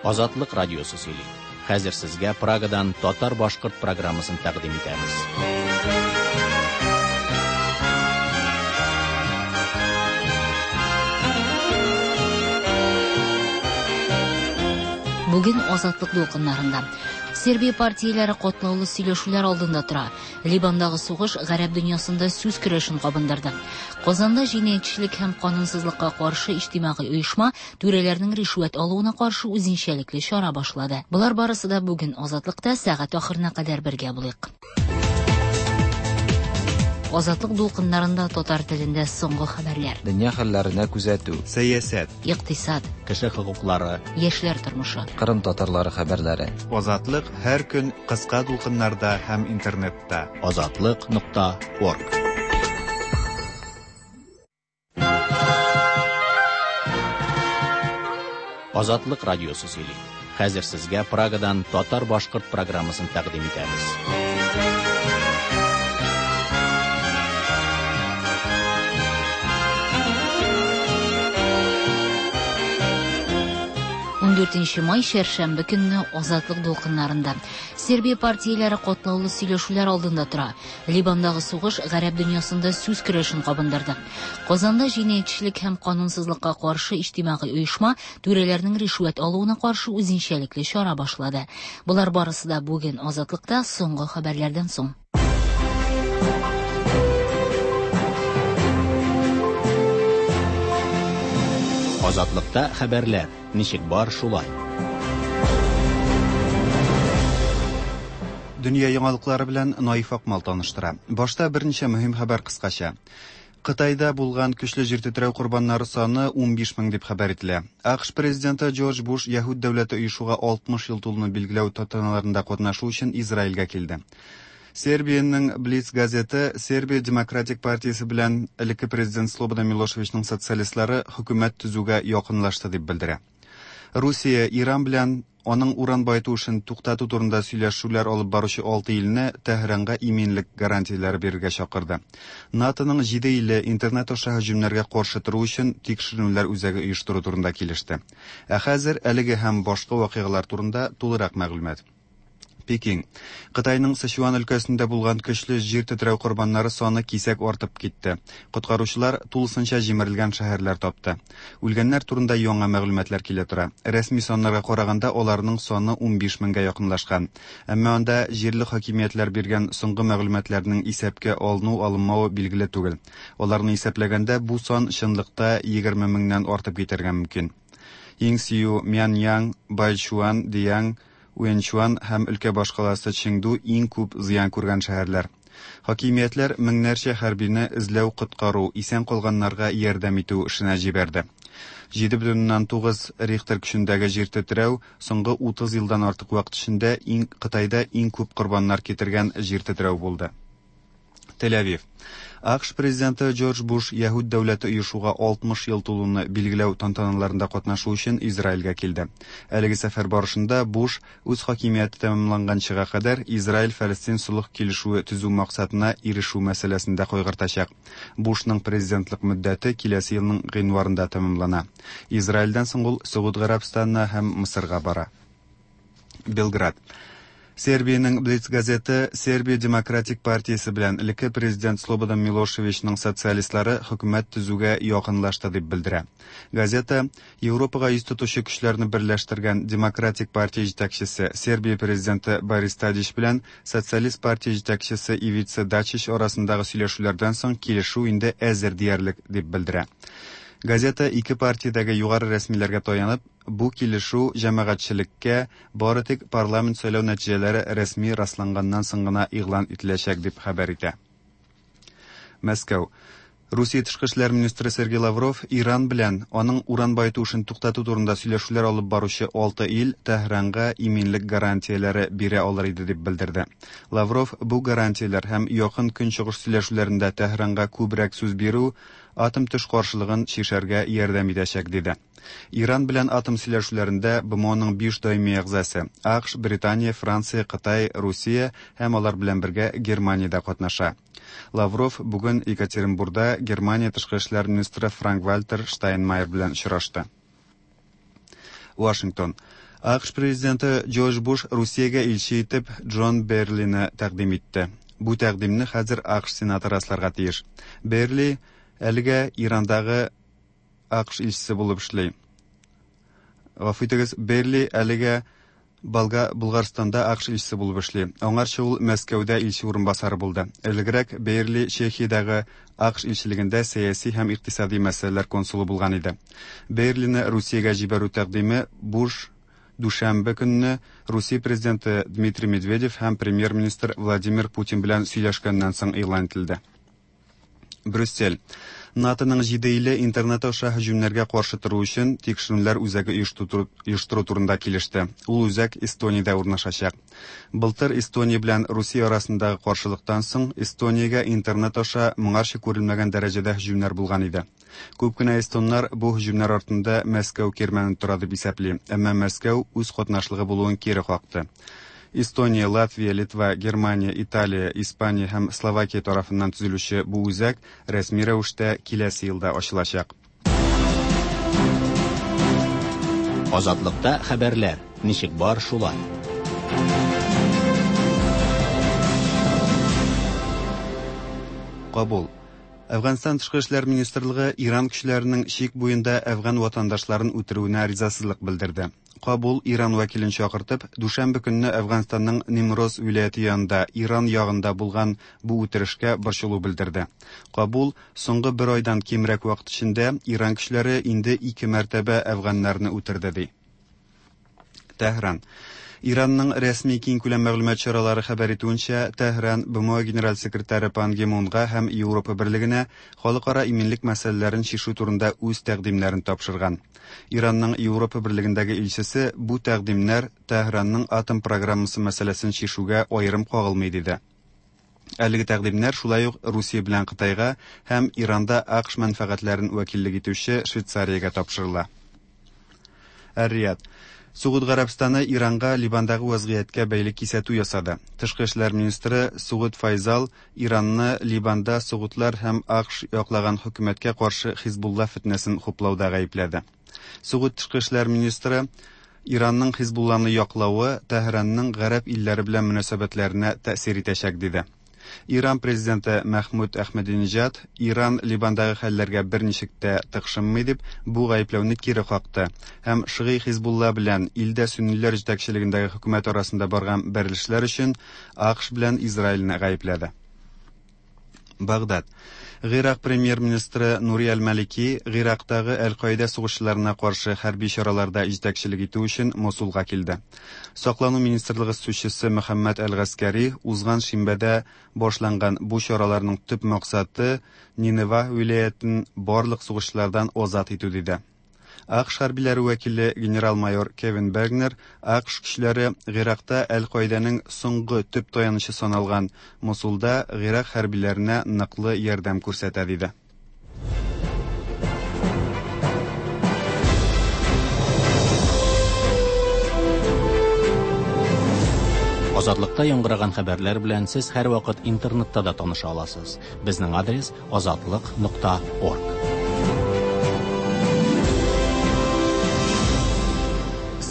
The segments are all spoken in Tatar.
Азатлык радиосы сөйли. Хәзер сезгә Прагадан татар-башкорт программасын тәкъдим итәбез. Бүген Азатлык дулкыннарында Сербия партияләре катлаулы сөйләшүләр алдында тора. Либандагы сугыш гарәп дөньясында сүз көрәшен кабындырды. Казанда җинаятьчелек һәм канунсызлыкка каршы иҗтимагый оешма түрәләрнең ришвәт алуына каршы үзенчәлекле чара башлады. Болар барысы да бүген Азатлыкта сәгать ахырына кадәр бергә булыйк. Азатлык дулкыннарында татар телендә соңгы хәбәрләр. Дөнья хәлләренә күзәтү. Сәясәт. Икътисад. Кеше хокуклары. Яшьләр тормышы. Кырым татарлары хәбәрләре. Азатлык һәр көн кыска дулкыннарда һәм интернетта. Азатлык нокта орг. Азатлык радиосы сөйли. Хәзер сезгә Прагадан татар-башкорт программасын тәкъдим итәбез. Ундүртенче май чәршәмбе көнне Азатлык дулкыннарында Сербия партияләре катлаулы сөйләшүләр алдында тора. Либандагы сугыш гарәп дөньясында сүз көрәшен кабындырды. Казанда җинаятьчелек һәм канунсызлыкка каршы иҗтимагый оешма түрәләрнең ришвәт алуына каршы үзенчәлекле чара башлады. Болар барысы да бүген Азатлыкта соңгы хәбәрләрдән соң. Азатлыкта хәбәрләр ничек бар шулай. Дөнья яңалыклары белән Наиф Акмал таныштыра. Башта берничә мөһим хәбәр кыскача. Кытайда булган көчле җир тетрәү корбаннары саны 15 мең дип хәбәр ителә. АКШ президенты Джордж Буш Яһүд дәүләте оешуга 60 ел тулуны билгеләү тантаналарында катнашу өчен Израильгә килде. Сербиянең Блиц газеты Сербия демократик партиясе белән элекке президент Слободан Милошевичның социалистлары хөкүмәт төзүгә якынлашты дип белдерә. Русия Иран белән аның уран баету эшен туктату турында сөйләшүләр алып баручы алты илне Тәһранга иминлек гарантияләре бирергә чакырды. НАТОның җиде иле интернет аша һөҗүмнәргә каршы тору өчен тикшеренүләр үзәге оештыру турында килеште. Ә хәзер әлеге һәм башка вакыйгалар турында тулырак мәгълүмат. Пекин. Кытайның Сычуан өлкәсендә булган көчле җир тетрәү корбаннары саны кисәк артып китте. Коткаручылар тулысынча җимерелгән шәһәрләр тапты. Үлгәннәр турында яңа мәгълүматлар килә тора. Рәсми саннарга караганда, аларның саны 15 меңгә якынлашкан. Әмма анда җирле хакимиятләр биргән соңгы мәгълүматларның исәпкә алыну-алынмавы билгеле түгел. Аларны исәпләгәндә, бу сан чынлыкта 20 меңнән артып китәргә мөмкин. Иңсию, Мяньян, Байчуан, Диянг, Уэнчуан һәм өлкә башкаласы Чеңду иң күп зыян күргән шәһәрләр. Хакимиятләр меңнәрчә хәрбине эзләү-коткару, исән калганнарга ярдәм итү эшенә җибәрде. 7,9 Рихтер көчендәге җир тетрәү соңгы 30 елдан артык вакыт эчендә иң Кытайда иң күп корбаннар китергән җир тетрәү булды. Тель-Авив. АКШ президенты Джордж Буш Яһүд дәүләте оешуга 60 ел тулуны билгеләү тантаналарында катнашу өчен Израильгә килде. Әлеге сәфәр барышында Буш үз хакимияте тәмамланганчыга кадәр Израиль-Фәлестин солых килешүе төзү максатына ирешү мәсьәләсен дә кайгыртачак. Бушның президентлык мөддәте киләсе елның гыйнварында тәмамлана. Израильдән соң ул Согуд Гарәбстанына һәм Мысырга бара. Белград. Сербиянең Блиц газеты Сербия демократик партиясе белән элекке президент Слободан Милошевичның социалистлары хөкүмәт төзүгә якынлашты дип белдерә. Газета Европага йөз тотучы көчләрне берләштергән Демократик партия җитәкчесе Сербия президенты Борис Тадич белән Социалист партия җитәкчесе Ивица Дачич арасындагы сөйләшүләрдән соң килешү инде әзер диярлек дип белдерә. Газета ике партиядәге югары рәсмиләргә таянып, Бу килешү җәмәгатьчелеккә бары тик парламент сайлау нәтиҗәләре рәсми расланганнан соң гына игълан ителәчәк, дип хәбәр итә. Мәскәү. Русия тышкы эшләр министры Сергей Лавров Иран белән аның уран баету эшен туктату турында сөйләшүләр алып баручы алты ил Тәһранга иминлек гарантияләре бирә алыр иде дип белдерде. Лавров бу гарантияләр һәм Якын Көнчыгыш сөйләшүләрендә Тәһранга күбрәк сүз бирү атом-төш каршылыгын чишәргә ярдәм итәчәк диде. Иран белән атом сөйләшүләрендә БМОның биш даими әгъзасы, АКШ, Британия, Франция, Кытай, Русия һәм алар белән бергә Германия дә катнаша. Лавров бүген Екатеринбурда Германия тышкы эшләр министры Франк-Вальтер Штайнмайер белән очрашты. Вашингтон. АКШ президенты Джордж Буш Русиягә илче итеп Джон Берлины тәкъдим итте. Бу тәкъдимне хәзер АКШ Сенаты расларга тиеш. Берли әлегә Ирандагы АКШ илчесе булып эшли. Гафу итегез, Берли әлегә Болга Булгарстанда АКШ илчесе булып эшли. Аңарчы ул Мәскәүдә илче урынбасары булды. Элегрәк Бейерли Чехиядәге АКШ илчелегендә сәяси һәм икътисади мәсьәләләр консулы булган иде. Бейерлины Русиягә җибәрү тәкъдиме Буш дүшәмбе көнне Русия президенты Дмитрий Медведев һәм премьер-министр Владимир Путин белән сөйләшкәннән соң игълан ителде. Брюссель. НАТОның җиде иле интернет аша һөҗүмнәргә каршы тору өчен тикшеренүләр үзәге оештыру турында килеште. Ул үзәк Эстониядә урнашачак. Былтыр Эстония белән Русия арасындагы каршылыктан соң Эстониягә интернет аша моңарчы күрелмәгән дәрәҗәдә һөҗүмнәр булган иде. Күп кенә эстоннар бу һөҗүмнәр артында Мәскәү кирмәне тора дип исәпли, әмма Мәскәү үз катнашлыгы булуын кире какты. Эстония, Латвия, Литва, Германия, Италия, Испания һәм Словакия тарафыннан төзелүче бу үзәк рәсми рәвештә киләсе елда ачылачак. Азатлыкта хәбәрләр ничек бар шулай. Кабул. Әфганстан тышкы эшләр министрлыгы Иран көчләренең чик буенда әфган ватандашларын үтерүенә ризасызлык белдерде. Кабул Иран вәкилен чакыртып, дүшәмбе көнне Әфганстанның Нимроз вилаяте янында Иран ягында булган бу үтерешкә борчылу белдерде. Кабул соңгы бер айдан кимрәк вакыт эчендә Иран көчләре инде ике мәртәбә әфганнарны үтерде ди. Тәһран. Иранның рәсми киңкүләм мәгълүмат чаралары хәбәр итүенчә, Тәһран БМО генераль секретаре Пан Ги Мунга һәм Европа Берлегенә халыкара иминлек мәсьәләләрен чишү турында үз тәкъдимнәрен тапшырган. Иранның Европа Берлегендәге илчесе бу тәкъдимнәр Тәһранның атом программасы мәсьәләсен чишүгә аерым кагылмый диде. Әлеге тәкъдимнәр шулай ук Русия белән Кытайга һәм Иранда АКШ мәнфәгатьләрен вәкиллек итүче Швейцариягә тапшырыла. Эр-Рияд. Согуд Гарәбстаны Иранга Ливандагы вазгыятькә бәйле кисәтү ясады. Тышкы эшләр министры Сугуд Файзал Иранны Ливанда согудлар һәм АКШ яклаган хөкүмәткә каршы Хизбулла фетнәсен хуплауда гаепләде. Согуд тышкы эшләр министры Иранның Хизбулланы яклавы Тәһранның гарәп илләре белән мөнәсәбәтләренә тәэсир итәчәк диде. Иран президенты Мәхмүд Әхмәдинежад Иран Ливандагы хәлләргә берничек тә тыкшынмый дип бу гаепләүне кире какты һәм Шигый Хизбулла белән илдә сөнниләр җитәкчелегендәге хөкүмәт арасында барган бәрелешләр өчен АКШ белән Израильне гаепләде. Багдад. Гыйрак премьер-министры Нури Әл-Малики Гыйрактагы Әл-Каидә сугышчыларына каршы хәрби чараларда җитәкчелек итү өчен Мосулга килде. Саклану министрлыгы сүзчесе Мөхәммәд Әл-Гаскәри узган шимбәдә башланган бу чараларның төп максаты Нинева вилаятен барлык сугышчылардан азат итү диде. АКШ хәрбиләре вәкиле генерал-майор Кевин Бергнер АКШ көчләре Гыйракта Әл-Каидәнең соңгы төп таянычы саналган Мосулда Гыйрак хәрбиләренә ныклы ярдәм күрсәтә диде. Азатлыкта яңгыраган хәбәрләр белән сез һәрвакыт интернетта да таныша аласыз. Безнең адрес азатлык.орг.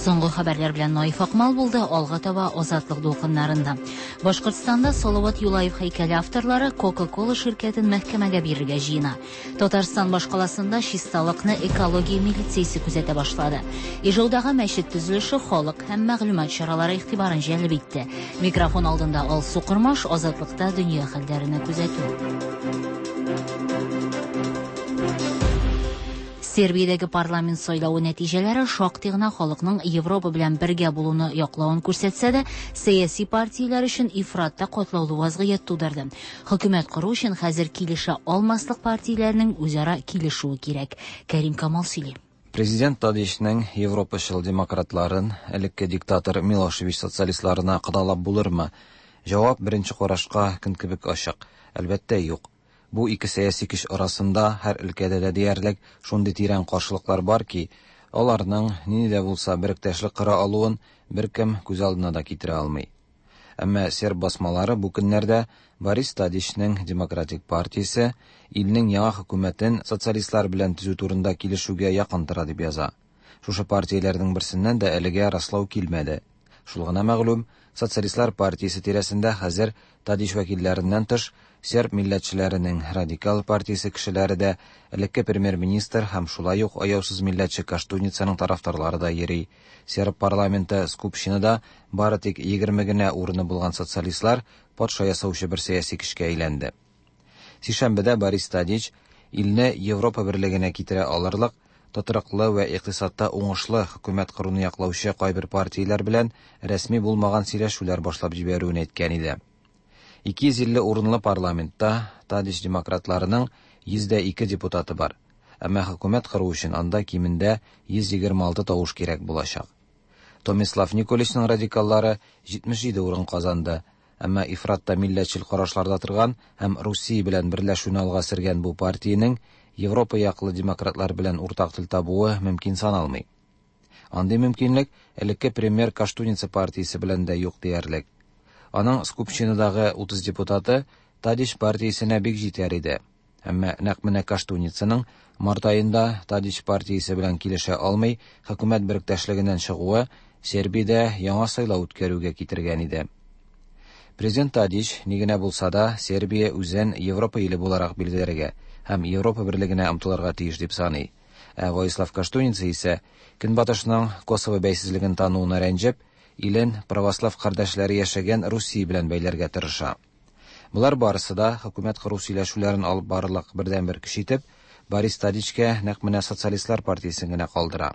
Соңгы хәбәрләр белән Наиф Акмал булды, алга таба Азатлык дулкыннарында. Башкортстанда Салават Юлаев һәйкәле авторлары Coca-Cola ширкәтен мәхкәмәгә бирергә җыена. Татарстан башкаласында чисталыкны экология милициясе күзәтә башлады. Ижаудагы мәчет төзелеше халык һәм мәгълүмат чаралары игътибарын җәлеп итте. Микрофон алдында Алсу Кормаш, Азатлыкта дөнья хәлләренә күзәтү. Сербиядәге парламент сайлавы нәтиҗәләре шактый гына халыкның Европа белән бергә булуны яклавын күрсәтсә дә, сәяси партияләр өчен ифратта катлаулы вазгыять тудырды. Хөкүмәт кору өчен хәзер килешә алмаслык партияләрнең үзара килешүе кирәк. Кәрим Камал сөйли. Президент Тадичның Европачыл демократларын элекке диктатор Милошевич социалистларына кадалап булырмы? Җавап беренче карашка көн кебек ачык. Әлбәттә, юк. Бу ике сәяси көч арасында һәр өлкәдә дә диярлек шундый тирән каршылыклар бар ки, аларның нинди дә булса беректәшлек кора алуын беркем күз алдына да китерә алмый. Әмма серб басмалары бу көннәрдә Борис Тадичның Демократик партиясе илнең яңа хөкүмәтен социалистлар белән төзү турында килешүгә якын тора дип яза. Шушы партияләрнең берсеннән дә әлегә раслау килмәде. Шул гына мәгълүм, Социалистлар партиясе тирәсендә хәзер Тадич вәкилләреннән тыш, серб милләтчеләренең Радикал партиясе кешеләре дә, элекке премьер-министр һәм шулай ук аяусыз милләтче Коштуницаның тарафдарлары да йөри. Серб парламенты Скупщинада бары тик 20 генә урыны булган социалистлар патша ясаучы бер сәяси көчкә әйләнде. Сишәмбедә Борис Тадич илне Европа берлегенә китерә алырлык тотрыклы вә икътисадта уңышлы хөкүмәт коруны яклаучы кайбер партияләр белән рәсми булмаган сөйләшүләр башлап җибәрүен әйткән иде. 250 урынлы парламентта Тадич демократларының 102 депутаты бар. Әмма хөкүмәт кору өчен анда кимендә 126 тавыш кирәк булачак. Томислав Николичның радикаллары 77 урын казанды, әмма ифратта милләтчел карашларда торган һәм Русия белән берләшүне алга сөргән бу партиянең Европа яклы демократлар белән уртак тел табуы мөмкин саналмый. Андый мөмкинлек элекке премьер Коштуница партиясе белән дә юк диярлек. Аның Скупщинадагы 30 депутаты Тадич партиясенә бик җитәр иде. Әмма нәкъ менә Коштуницаның март аенда Тадич партиясе белән килешә алмый хөкүмәт беректәшлегеннән чыгуы Сербиядә яңа сайлау үткәрүгә китергән иде. Президент Тадич ни генә булса да Сербия үзен Европа иле буларак билгеләргә һәм Европа берлегенә омтылырга тиеш дип саный. Ә Воислав Коштуница исә Көнбатышның Косово бәйсезлеген тануына рәнҗеп, илен православ кардәшләре яшәгән Русия белән бәйләргә тырыша. Болар барысы да хөкүмәт кору сөйләшүләрен алып барырлык бердәнбер көч итеп, Борис Тадичкә нәкъ менә социалистлар партиясен генә калдыра.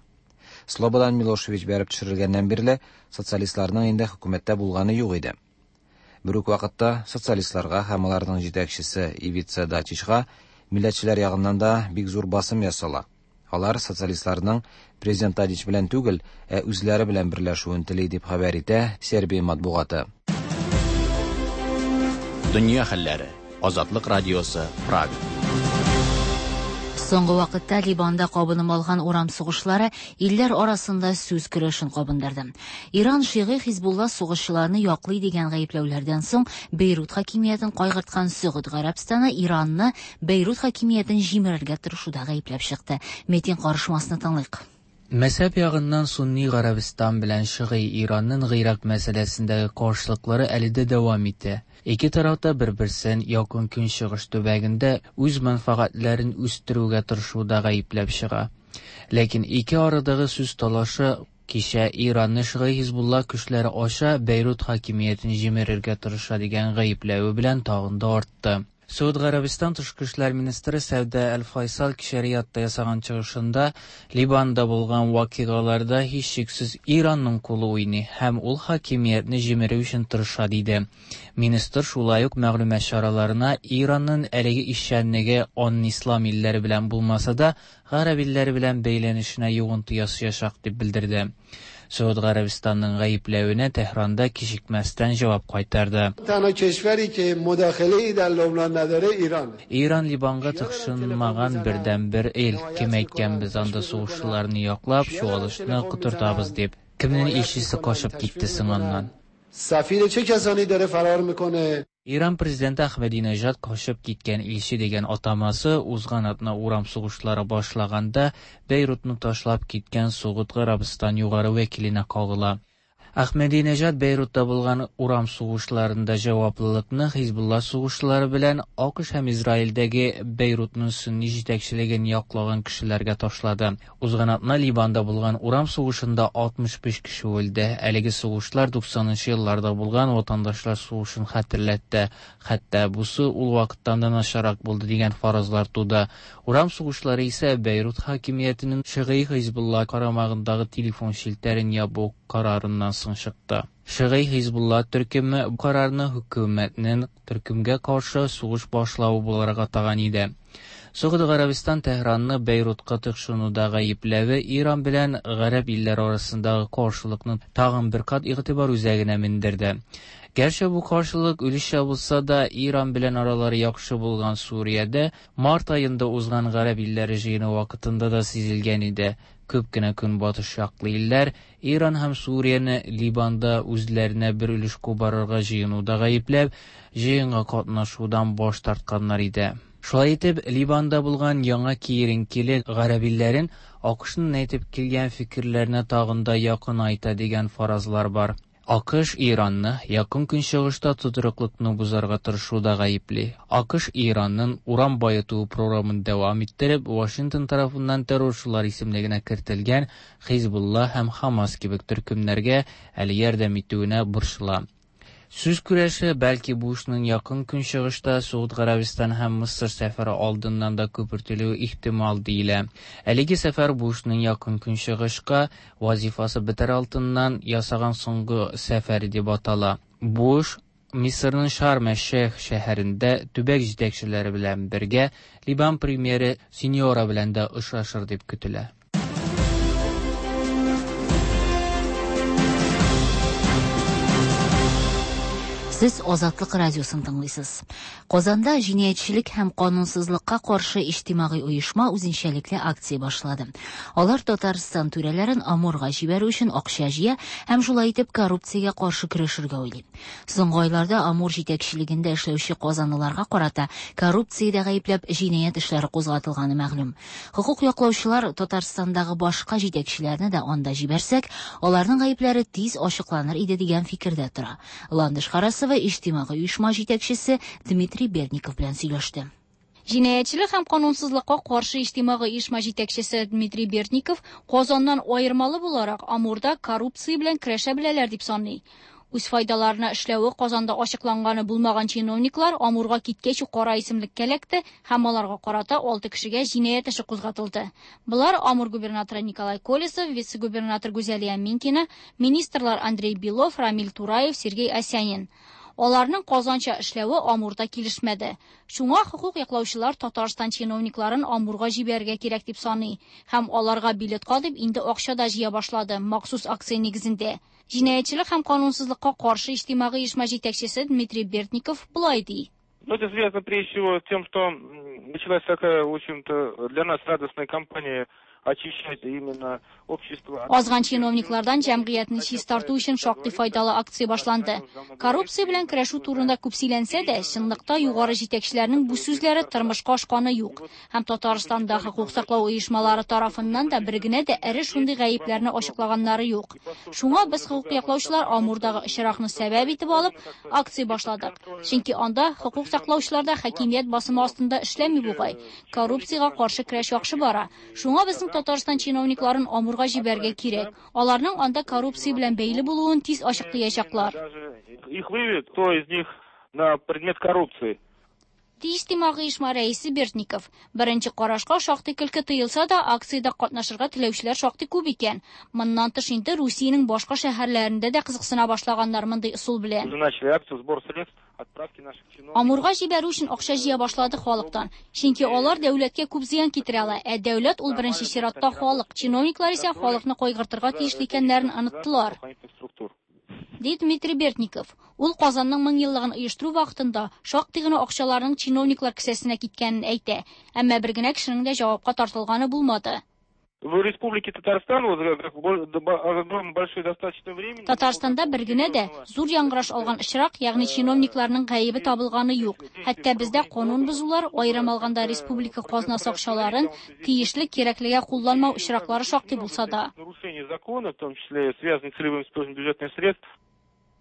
Слободан Милошевич бәреп төшерелгәннән бирле социалистларның инде хөкүмәттә булганы юк иде. Бер үк вакытта социалистларга һәм аларның җитәкчесе Ивица Дачичка милләтчеләр ягыннан да бик зур басым ясала. Алар социалистларның президент Тадич белән түгел, ә үзләре белән берләшүен тели дип хәбәр итә Сербия матбугаты. Дөнья хәлләре. Азатлык радиосы, Прага. Соңгы вакытта Ливанда кабынып алган урам сугышлары илләр арасында сүз көрәшен кабындырды. Иран шигый Хизбулла сугышчыларны яклый дигән гаепләүләрдән соң Бейрут хакимиятен кайгырткан Сөгуд Гарәбстаны Иранны Бейрут хакимиятен җимерергә тырышуда гаепләп чыкты. Метин карышмасны тыңлыйк. Мәзһәб ягыннан Сунни Гарәбстан белән Шигый Иранның Гыйрак мәсьәләсендәге каршылыклары әле дә дәвам итә. Ике тараф та бер-берсен Якын Көнчыгыш төбәгендә үз мәнфәгатьләрен үстерүгә тырышуда гаепләп чыга. Ләкин ике арадагы сүз талашы кичә Иранны Шигый Хизбулла көчләре аша Бейрут хакимиятен җимерергә тырыша дигән гаепләве белән тагын да артты. Сауд Гарәбстан тышкы эшләр министры Сәүдә Әл-Файсал кичә Риядта ясаган чыгышында Ливанда булган вакыйгаларда һичшиксез Иранның кулы уйный һәм ул хакимиятне җимерү өчен тырыша диде. Министр шулай ук мәгълүмат чараларына Иранның әлеге эшчәнлеге аның ислам илләре белән булмаса да, гарәп илләре белән бәйләнешенә йогынты ясаячак дип белдерде. Сауд Гарәбстанның гаепләвенә Тәһранда кичекмәстән җавап кайтарды. Иран Ливанга тыкшынмаган бердәнбер ил. Кем әйткән без анда сугышчыларны яклап, чуалышны котыртабыз дип. Кемнең илчесе качып китте соң аннан? سفیر چه کسانی داره فرار میکنه Иран президенты Ахмединежад качып киткән илче дигән атамасы узган атна урам сугышлары башлаганда Бейрутны ташлап киткән Согуд Гарәбстан югары вәкиленә кагыла. Ахмединежад Бейрутта булган урам сугышларында җаваплылыкны Хизбулла сугышчылары белән АКШ һәм Израильдәге Бейрутның сунни җитәкчелеген яклаган кешеләргә ташлады. Узган атна Ливанда булган урам сугышында 65 кеше үлде. Әлеге сугышлар 90нчы елларда булган ватандашлар сугышын хәтерләтте. Хәтта бусы ул вакыттан да начаррак булды дигән фаразлар туды. Урам сугышлары исә Бейрут хакимиятенең Шигый Хизбулла карамагындагы телефон челтәрен ябу карарыннан соң чыкты. Шигый Хизбулла төркеме бу карарны хөкүмәтнең төркемгә каршы сугыш башлавы буларак атаган иде. Согуд Гарәбстан Тәһранны Бейрутка тыкшынуда гаепләве Иран белән гарәп илләре арасындагы каршылыкны тагын бер кат игътибар үзәгенә мендерде. Гәрчә бу каршылык өлешчә булса да, Иран белән аралары яхшы булган Суриядә март аенда узган гарәп илләре җыены вакытында да сизелгән иде. Күп кенә көнбатыш яклы илләр Иран һәм Сурияне Ливанда үзләренә бер өлеш кубарырга җыенуда гаепләп, җыенга катнашудан баш тартканнар иде. Шулай итеп, Ливанда булган яңа киеренкелек гарәп илләрен АКШның әйтеп килгән фикерләренә тагын да якынайта дигән фаразлар бар. АКШ Иранны Якын Көнчыгышта тотрыклыкны бозарга тырышуда гаепли. АКШ Иранның уран баету програмын дәвам иттереп, Вашингтон тарафыннан террорчылар исемлегенә кертелгән Хизбулла һәм Хамас кебек төркемнәргә әле ярдәм итүенә борчыла. Сүз көрәше бәлки Бушның Якын Көнчыгышта Согуд Гарәбистан һәм Мысыр сәфәре алдыннан да күпертелүе ихтимал диелә. Әлеге сәфәр Бушның Якын Көнчыгышка вазифасы бетәр алдыннан ясаган соңгы сәфәре дип атала. Буш Мисырның Шарм-әш-Шейх шәһәрендә төбәк җитәкчеләре белән бергә Ливан премьеры Синьора белән дә очрашыр дип көтелә. Сез Азатлык радиосын тыңлыйсыз. Казанда җинаятьчелек һәм канунсызлыкка каршы иҗтимагый оешма үзенчәлекле акция башлады. Алар Татарстан түрәләрен Амурга җибәрү өчен акча җыя һәм шулай итеп коррупциягә каршы көрәшергә уйлый. Соңгы айларда Амур җитәкчелегендә эшләүче казанлыларга карата коррупциядә гаепләп җинаять эшләре кузгатылганы мәгълүм. Хокук яклаучылар Татарстандагы башка җитәкчеләрне дә анда җибәрсәк, аларның гаепләре тиз ачыкланыр иде дигән фикердә тора. Ландыш Харасова иҗтимагый оешма җитәкчесе Дмитрий Бердников белән сөйләште. Җинаятьчелек һәм канунсызлыкка каршы иҗтимагый оешма җитәкчесе Дмитрий Бердников Казаннан аермалы буларак Амурда коррупция белән көрәшә беләләр дип саный. Үз файдаларына эшләве Казанда ачыкланганы булмаган чиновниклар Амурга киткәч үк кара исемлеккә эләкте һәм аларга карата 6 кешегә җинаять эше кузгатылды. Болар Амур губернаторы Николай Колесов, вице-губернатор Гүзәлия Минкина, министрлар Андрей Белов, Рамиль Тураев, Сергей Осянин. Аларның Казанча эшләве Амурда килешмәде. Шуңа хокук яклаучылар Татарстан чиновникларын Амурга җибәрергә кирәк дип саный һәм аларга билетка дип инде акча да җыя башлады махсус акция нигезендә. Җинаятьчелек һәм канунсызлыкка каршы иҗтимагый оешма җитәкчесе Дмитрий Бердников болай ди. Ну, это связано прежде всего с тем, что началась такая, в общем-то, для нас радостная кампания очищать именно общество. Азган чиновниклардан җәмгыятьне чистарту өчен шактый файдалы акция башланды. Коррупция белән көрәшү турында күп сөйләнсә дә, чынлыкта югары җитәкчеләрнең бу сүзләре тормышка ашканы юк. Һәм Татарстанда хокук саклау оешмалары тарафыннан да бер генә дә эре шундый гаепләрне ачыклаганнары юк. Шуңа без хокук яклаучылар Амурдагы очракны сәбәп итеп алып, акция башладык. Чөнки анда хокук саклаучылар да хакимият басымы астында эшләми бугай. Коррупциягә каршы көрәш яхшы бара. Шуңа безнең Татарстан чиновникларын Амурга җибәрергә кирәк. Аларның анда коррупция белән бәйле булуын тиз ачыклаячаклар. Их выявят, кто из них на предмет коррупции. Ди иҗтимагый оешма рәисе Бердников. Беренче карашка шактый көлке тоелса да, акциядә катнашырга теләүчеләр шактый күп икән. Моннан тыш инде Русиянең башка шәһәрләрендә дә кызыксына башлаганнар мондый ысул белән. Уже начали акцию сбор средств отправки наших чиновников. Амурга җибәрү өчен акча җыя башлады халыктан. Чөнки алар дәүләткә күп зыян китерә ала. Ә дәүләт ул беренче чиратта халык. Чиновниклар исә халыкны кайгыртырга тиешле икәннәрен оныттылар. Ди Дмитрий Бердников. Ул Казанның 1000 еллыгын оештыру вакытында шактый гына акчаларның чиновниклар кесәсенә киткәнен әйтә. Әмма бер генә кешенең дә җавапка тартылганы булмады. В Республике Татарстан вот, как огромное большое достаточно времени. Татарстанда бер генә дә зур яңгыраш алган очрак, ягъни чиновникларның гаебе табылганы юк. Хәтта бездә канун бозулар, аерым алганда республика казнасы акчаларын тиешле кирәклегә кулланмау очраклары шактый булса да. Нарушение закона, в том числе связанных с целевым использованием бюджетных средств.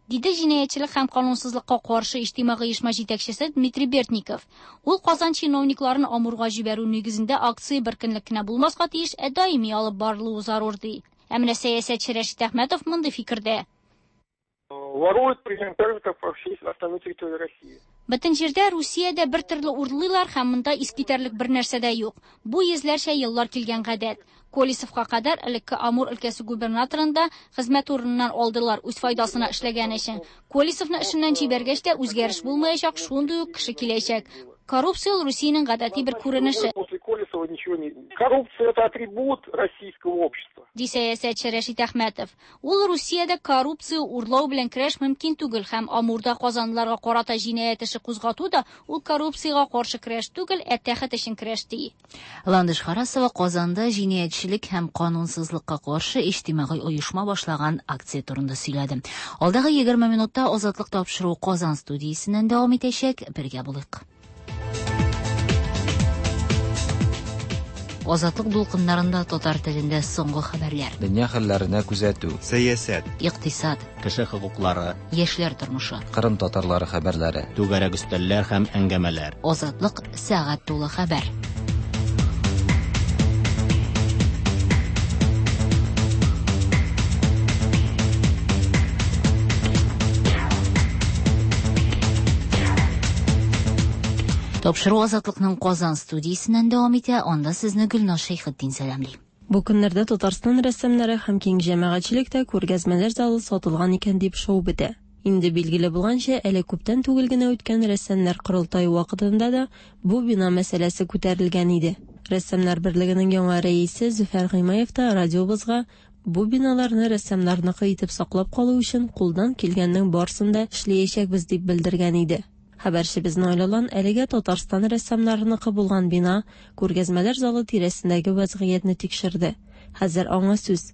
Диде җинаятьчелек һәм канунсызлыкка каршы иҗтимагый оешма җитәкчесе Дмитрий Бердников. Ул Казан чиновникларын Амурга җибәрү нигезендә акция бер көнлек кенә булмаска тиеш, ә даими алып барылуы зарур ди. Ә менә сәясәтче Рәшит Әхмәтов мондый фикердә. Воруют примерно так же, как по всей остальной территории России. Бөтен җирдә Русиядә бер төрле урлыйлар һәм монда искитәрлек бер нәрсә дә юк. Бу йөзләрчә еллар килгән гадәт. Колесовка кадәр элекке Амур өлкәсе губернаторын да хезмәт урыныннан алдылар үз файдасына эшләгән өчен. Колесовны эшеннән җибәргәч тә үзгәреш булмаячак, шундый ук кеше киләчәк. Коррупция ул Русиянең гадәти бер күренеше. После Колесова ничего не... Коррупция это атрибут российского общества. Ди сәясәтче Рәшит Әхмәтов. Ул Русиядә коррупция урлау белән көрәш мөмкин түгел һәм Амурда казанлыларга карата җинаять эше кузгату да ул коррупциягә каршы көрәш түгел, ә тәхет өчен көрәш ди. Ландыш Харасова Казанда җинаятьчелек һәм канунсызлыкка каршы иҗтимагый оешма башлаган акция турында сөйләде. Алдагы 20 минутта Азатлык тапшыруы Казан студиясеннән дәвам итәчәк. Бергә булыйк. Азатлык дулкыннарында татар телендә соңгы хәбәрләр. Дөнья хәлләренә күзәтү. Сәясәт. Икътисад. Кеше хокуклары. Яшьләр тормышы. Кырым татарлары хәбәрләре. Түгәрәк өстәлләр һәм әңгәмәләр. Азатлык сәгать тулы хәбәр. Тапшыру Азатлыкның Казан студиясеннән дәвам итә, анда сезне Гөлназ Шәйхетдин сәламли. Бу көннәрдә Татарстан рәссамнары һәм киң җәмәгатьчелек тә күргәзмәләр залы сатылган икән дип шау бетә. Инде билгеле булганча, әле күптән түгел генә үткән рәссамнар корылтае вакытында да бу бина мәсьәләсе күтәрелгән иде. Рәссамнар берлегенең яңа рәисе Зөфәр Гыймаев та радиобызга бу биналарны рәссамнарныкы итеп саклап калу өчен кулдан килгәннең барысын да эшләячәкбез дип белдергән иде. Хәбәрчебез Наил Алан әлегә Татарстан рәссамнарыныкы булган бина, күргәзмәләр залы тирәсендәге вәзгыятьне тикшерде. Хәзер аңа сүз.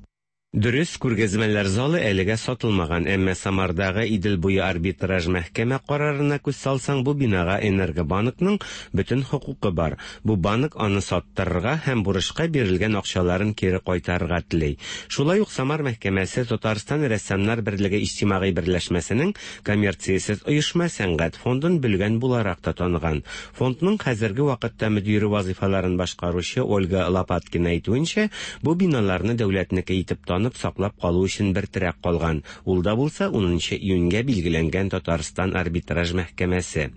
Дөрес, күргәзмәләр залы әлегә сатылмаган, әмма Самардагы Идел буе арбитраж мәхкәмә карарына күз салсаң, бу бинага Энергобанкның бөтен хокукы бар. Бу банк аны саттырырга һәм бурычка бирелгән акчаларын кире кайтарырга тели. Шулай ук Самар мәхкәмәсе Татарстан рәссамнар берлеге иҗтимагый берләшмәсенең коммерциясез оешма сәнгать фондын бөлгән буларак та таныган. Фондның хәзерге вакытта мөдире вазифаларын башкаручы Ольга Лопаткина әйтүенчә, бу биналарны дәүләтнеке итеп танып саклап калу өчен бер терәк калган. Ул да булса 10 июньгә билгеләнгән Татарстан арбитраж мәхкәмәсе.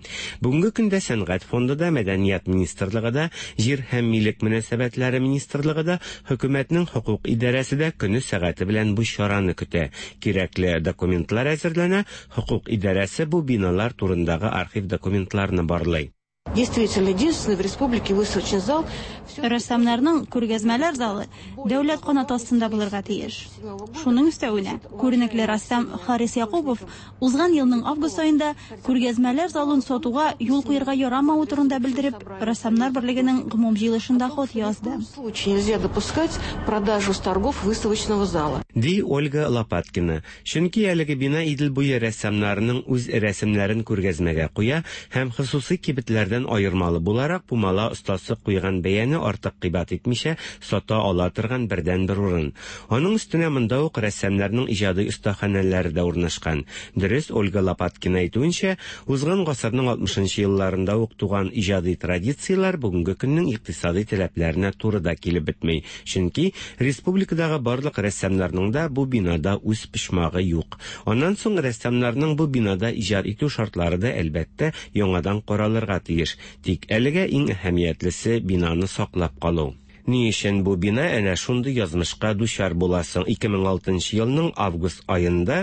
Бүгенге көндә сәнгать фонды да, мәдәният министрлыгы да, җир һәм милек мөнәсәбәтләре министрлыгы да, хөкүмәтнең хокук идарәсе дә көне сәгате белән бу чараны көтә. Кирәкле документлар әзерләнә, хокук идарәсе бу биналар турындагы архив документларны барлый. Действительно, единственный в республике выставочный зал. Рәссамнарның күргәзмәләр залы дәүләт канаты астында булырга тиеш. Шуның өстәвенә, күренекле рәссам Харис Якупов узган елның август аенда күргәзмәләр залын сатуга юл куярга ярамавы турында белдереп, Рәссамнар берлегенең гомум җыелышында хат язды. В случае нельзя допускать продажу с торгов выставочного зала. Ди Ольга Лопаткина. Чөнки әлеге бина Идел буе рәссамнарының үз рәсемнәрен күргәзмәгә куя һәм хосусый кибетләрдән аермалы буларак пумала остасы куйган бәяне артык кыйбат итмичә сата ала торган бердәнбер урын. Аның өстенә монда ук рәссамнарның иҗади остаханәләре дә урнашкан. Дөрес, Ольга Лопаткина әйтүенчә, узган гасырның 60 елларында ук туган иҗади традицияләр бүгенге көннең икътисади таләпләренә туры да килеп бетми. Чөнки республикадагы барлык рәссамнарның да бу бинада үз почмагы юк. Аннан соң рәссамнарның бу бинада иҗат итү шартлары да әлбәттә яңадан каралырга тиеш. Тик әлегә иң әһәмиятлесе бинаны саклап калу. Ни өчен бу бина әнә шундый язмышка дучар була соң? 2006 елның август аенда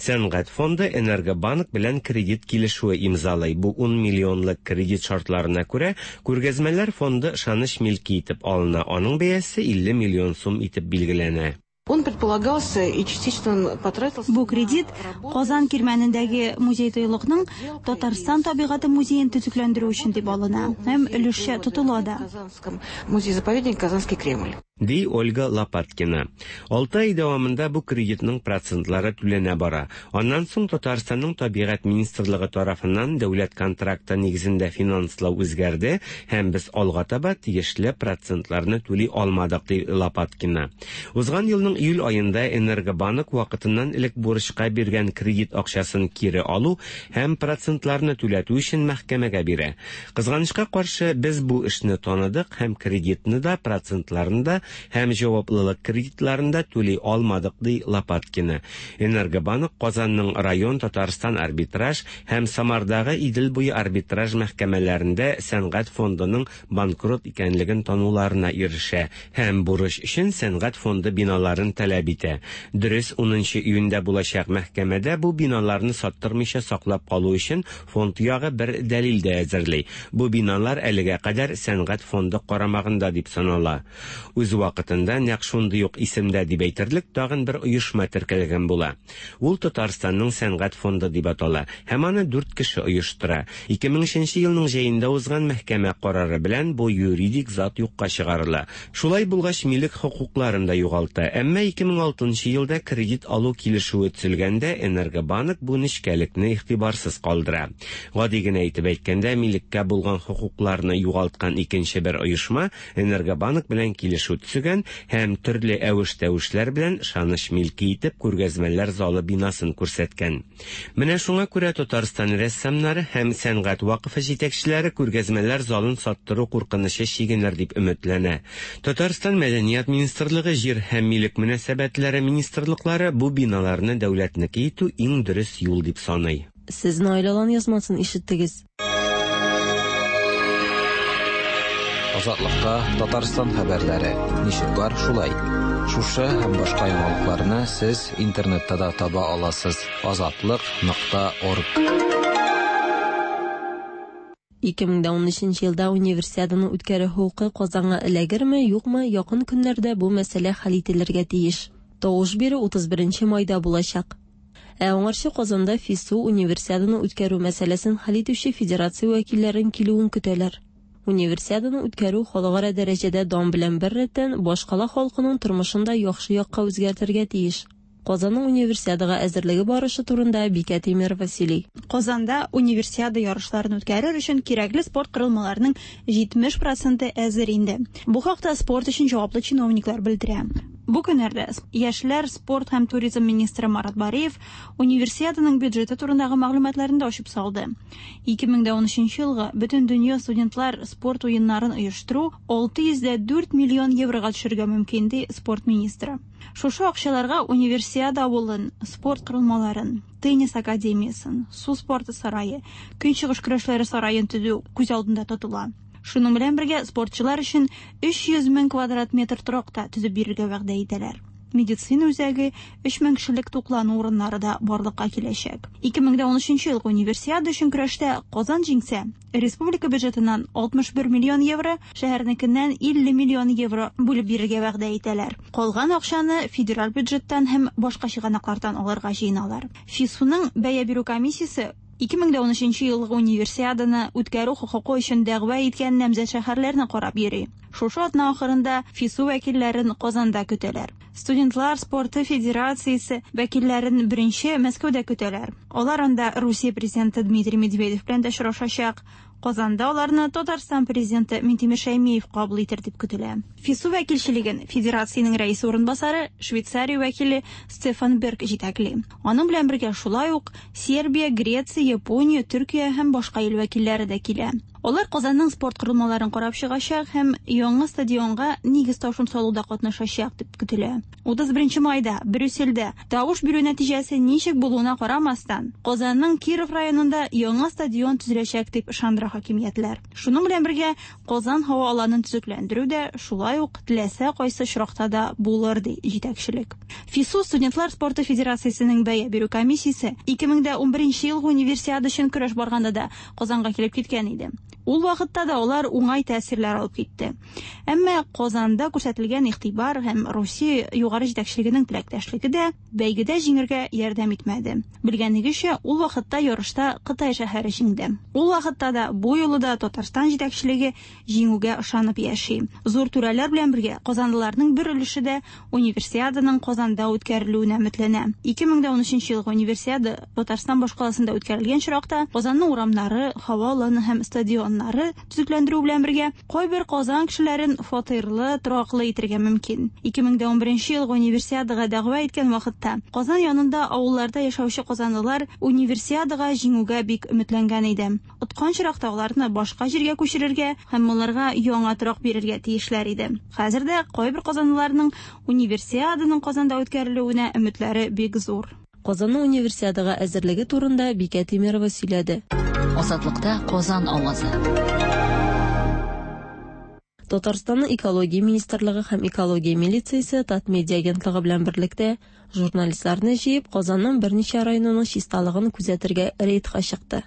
Сәнгать фонды Энергобанк белән кредит килешүе имзалый. Бу 10 миллионлык кредит шартларына күрә, күргәзмәләр фонды ышаныч милке итеп алына. Аның бәясе 50 миллион сум итеп билгеләнә. Он предполагался и частично он потратился. Бу кредит Казан кирмәнендәге музей-тыюлыкның Татарстан табигате музеен төзекләндерү өчен дип алына һәм өлешчә тотыла да. Казанском музее-заповедник Казанский Кремль. Ди Ольга Лопаткина. 6 ай дәвамында бу кредитның процентлары түләнә бара. Аннан соң Татарстанның табигать министрлыгы тарафыннан дәүләт контракты нигезендә финанслау үзгәрде һәм без алга таба тиешле процентларны түли алмадык, ди Лопаткина. Узган елның июль аенда Энергобанк вакытыннан элек бурычка биргән кредит акчасын кире алу һәм процентларны түләтү өчен мәхкәмәгә бирә. Кызганычка каршы, без бу эшне таныдык һәм кредитны да, процентларны да һәм җаваплылык кредитларын да түли алмадык, ди Лопаткина. Энергобанк Казанның район Татарстан арбитраж һәм Самардагы Идел буе арбитраж мәхкәмәләрендә сәнгать фондының банкрот икәнлеген тануларына ирешә һәм бурыч өчен сәнгать фонды биналарын таләп итә. Дөрес, 10 июньдә булачак мәхкәмәдә бу биналарны саттырмыйча саклап калу өчен фонд ягы бер дәлил дә әзерли. Бу биналар әлегә кадәр сәнгать фонды карамагында дип санала. Үз вакытында нәкъ шундый ук исемдә дип әйтерлек тагын бер оешма теркәлгән була. Ул Татарстанның сәнгать фонды дип атала һәм аны дүрт кеше оештыра. 2003 елның җәендә узган мәхкәмә карары белән бу юридик зат юкка чыгарыла. Шулай булгач, милек хокукларын да югалта. Әмма 2006 елда кредит алу килешүе төзелгәндә Энергобанк бу нечкәлекне игътибарсыз калдыра. Гади генә итеп әйткәндә, милеккә булган хокукларны югалткан икенче бер оешма Энергобанк белән килешү төзегән һәм төрле әвеш-тәвешләр белән ышаныч милке итеп күргәзмәләр залы бинасын күрсәткән. Менә шуңа күрә Татарстан рәссамнары һәм сәнгать вакыфы җитәкчеләре күргәзмәләр залын саттыру куркынычы чигенер дип өметләнә. Татарстан Мәдәният министрлыгы, Җир һәм милек мөнәсәбәтләре министрлыклары бу биналарны дәүләтнеке итү иң дөрес юл дип саный. Сез Наил Алан язмасын ишеттегез. Азатлыкта Татарстан хәбәрләре. Ничек бар, шулай. Шушы һәм башка яңалыкларны сез интернетта да таба аласыз. Азатлык.орг. 2013 елда Универсиаданы үткәрү хокукы Казанга эләгерме, юкмы, якын көннәрдә бу мәсьәлә хәл ителергә тиеш. Тавыш бирү 31 майда булачак. Ә аңарчы Казанда ФИСУ Универсиаданы үткәрү мәсьәләсен хәл итүче федерация вәкилләрен килүен көтәләр. Универсиаданы үткәрү халыкара дәрәҗәдә дан белән беррәттән башкала халкының тормышын да яхшы якка үзгәртергә тиеш. Казанның Универсиадага әзерлеге барышы турында Бикә Тимерова сөйли. Казанда Универсиада ярышларын үткәрер өчен кирәкле спорт корылмаларының 70 проценты әзер инде. Бу хакта спорт өчен җаваплы чиновниклар белдерә. Бу көннәрдә яшьләр, спорт һәм туризм министры Марат Бариев Универсиаданың бюджеты турындагы мәгълүматларын да ачып салды. 2013 елгы Бөтендөнья студентлар спорт уеннарын оештыру 604 миллион еврога төшергә мөмкин, ди спорт министры. Шушы акчаларга Универсиада авылын, спорт корылмаларын, теннис академиясен, су спорты сарае, көнчыгыш көрәшләре сараен төзү күз алдында тотыла. Шуның белән бергә спортчылар өчен 300 мең квадрат метр торак та төзеп бирергә вәгъдә итәләр. Медицина үзәге, 3000 кешелек туклану урыннары да барлыкка киләчәк. 2013 елгы Универсиада өчен көрәштә Казан җиңсә, республика бюджетыннан 61 миллион евро, шәһәрнекеннән 50 миллион евро бүлеп бирергә вәгъдә итәләр. Калган акчаны федераль бюджеттан һәм башка чыганаклардан алырга җыеналар. ФИСУның бәя бирү комиссиясе 2013 елгы Универсиаданы үткәрү хокукы өчен дәгъва иткән намзәт шәһәрләрне карап йөри. Шушы атна ахырында ФИСУ вәкилләрен Казанда көтәләр. Студентлар спорты федерациясе вәкилләрен беренче Мәскәүдә көтәләр. Алар анда Русия президенты Дмитрий Медведев белән дә очрашачак. Казанда аларны Татарстан президенты Минтимер Шәймиев кабул итер дип көтелә. ФИСУ вәкилчелеген федерациянең рәисе урынбасары Швейцария вәкиле Стефан Берг җитәкли. Аның белән бергә шулай ук Сербия, Греция, Япония, Төркия һәм башка ил вәкилләре дә килә. Алар Казанның спорт корылмаларын карап чыгачак һәм яңа стадионга нигез ташын салуда катнашачак дип көтелә. 31 майда Брюссельдә тавыш бирү нәтиҗәсе ничек булуына карамастан, Казанның Киров районында яңа стадион төзеләчәк дип ышандыра хакимиятләр. Шуның белән бергә Казан һава аланын төзекләндерү дә шулай ук теләсә кайсы очракта да булыр, ди җитәкчелек. ФИСУ студентлар спорты федерациясенең бәя бирү комиссиясе 2011 елгы Универсиада өчен көрәш барганда да Казанга килеп киткән иде. Ул вакытта да алар уңай тәэсирләр алып китте. Әмма Казанда күрсәтелгән игътибар һәм Русия югары җитәкчелегенең теләктәшлеге дә бәйгедә җиңергә ярдәм итмәде. Белгәнегезчә, ул вакытта ярышта Кытай шәһәре җиңде. Ул вакытта да, бу юлы да Татарстан җитәкчелеге җиңүгә ышанып яши. Зур түрәләр белән бергә казанлыларның бер өлеше дә Универсиаданың Казанда үткәрелүенә өметләнә. 2013 елгы Универсиада Татарстан башкаласында үткәрелгән очракта Казанның урамнары, һава аланы һәм стадионнары төзекләндерү белән бергә кайбер Казан кешеләрен фатирлы, тораклы итергә мөмкин. 2011 елгы Универсиадага дәгъва иткән вакытта Казан янында авылларда яшәүче казанлылар Универсиадага җиңүгә бик өметләнгән иде. Откан очракта аларны башка җиргә күчерергә һәм аларга яңа торак бирергә тиешләр иде. Хәзер дә кайбер казанлыларның Универсиаданың Казанда үткәрелүенә өметләре бик зур. Казанның Универсиадага әзерлеге турында Бикә Тимерова сөйләде. Азатлыкта Казан авазы. Татарстанның Экология министрлыгы һәм Экология милициясе Татмедиа агентлыгы белән берлектә журналистларны җыеп, Казанның берничә районының чисталыгын күзәтергә рейдка чыкты.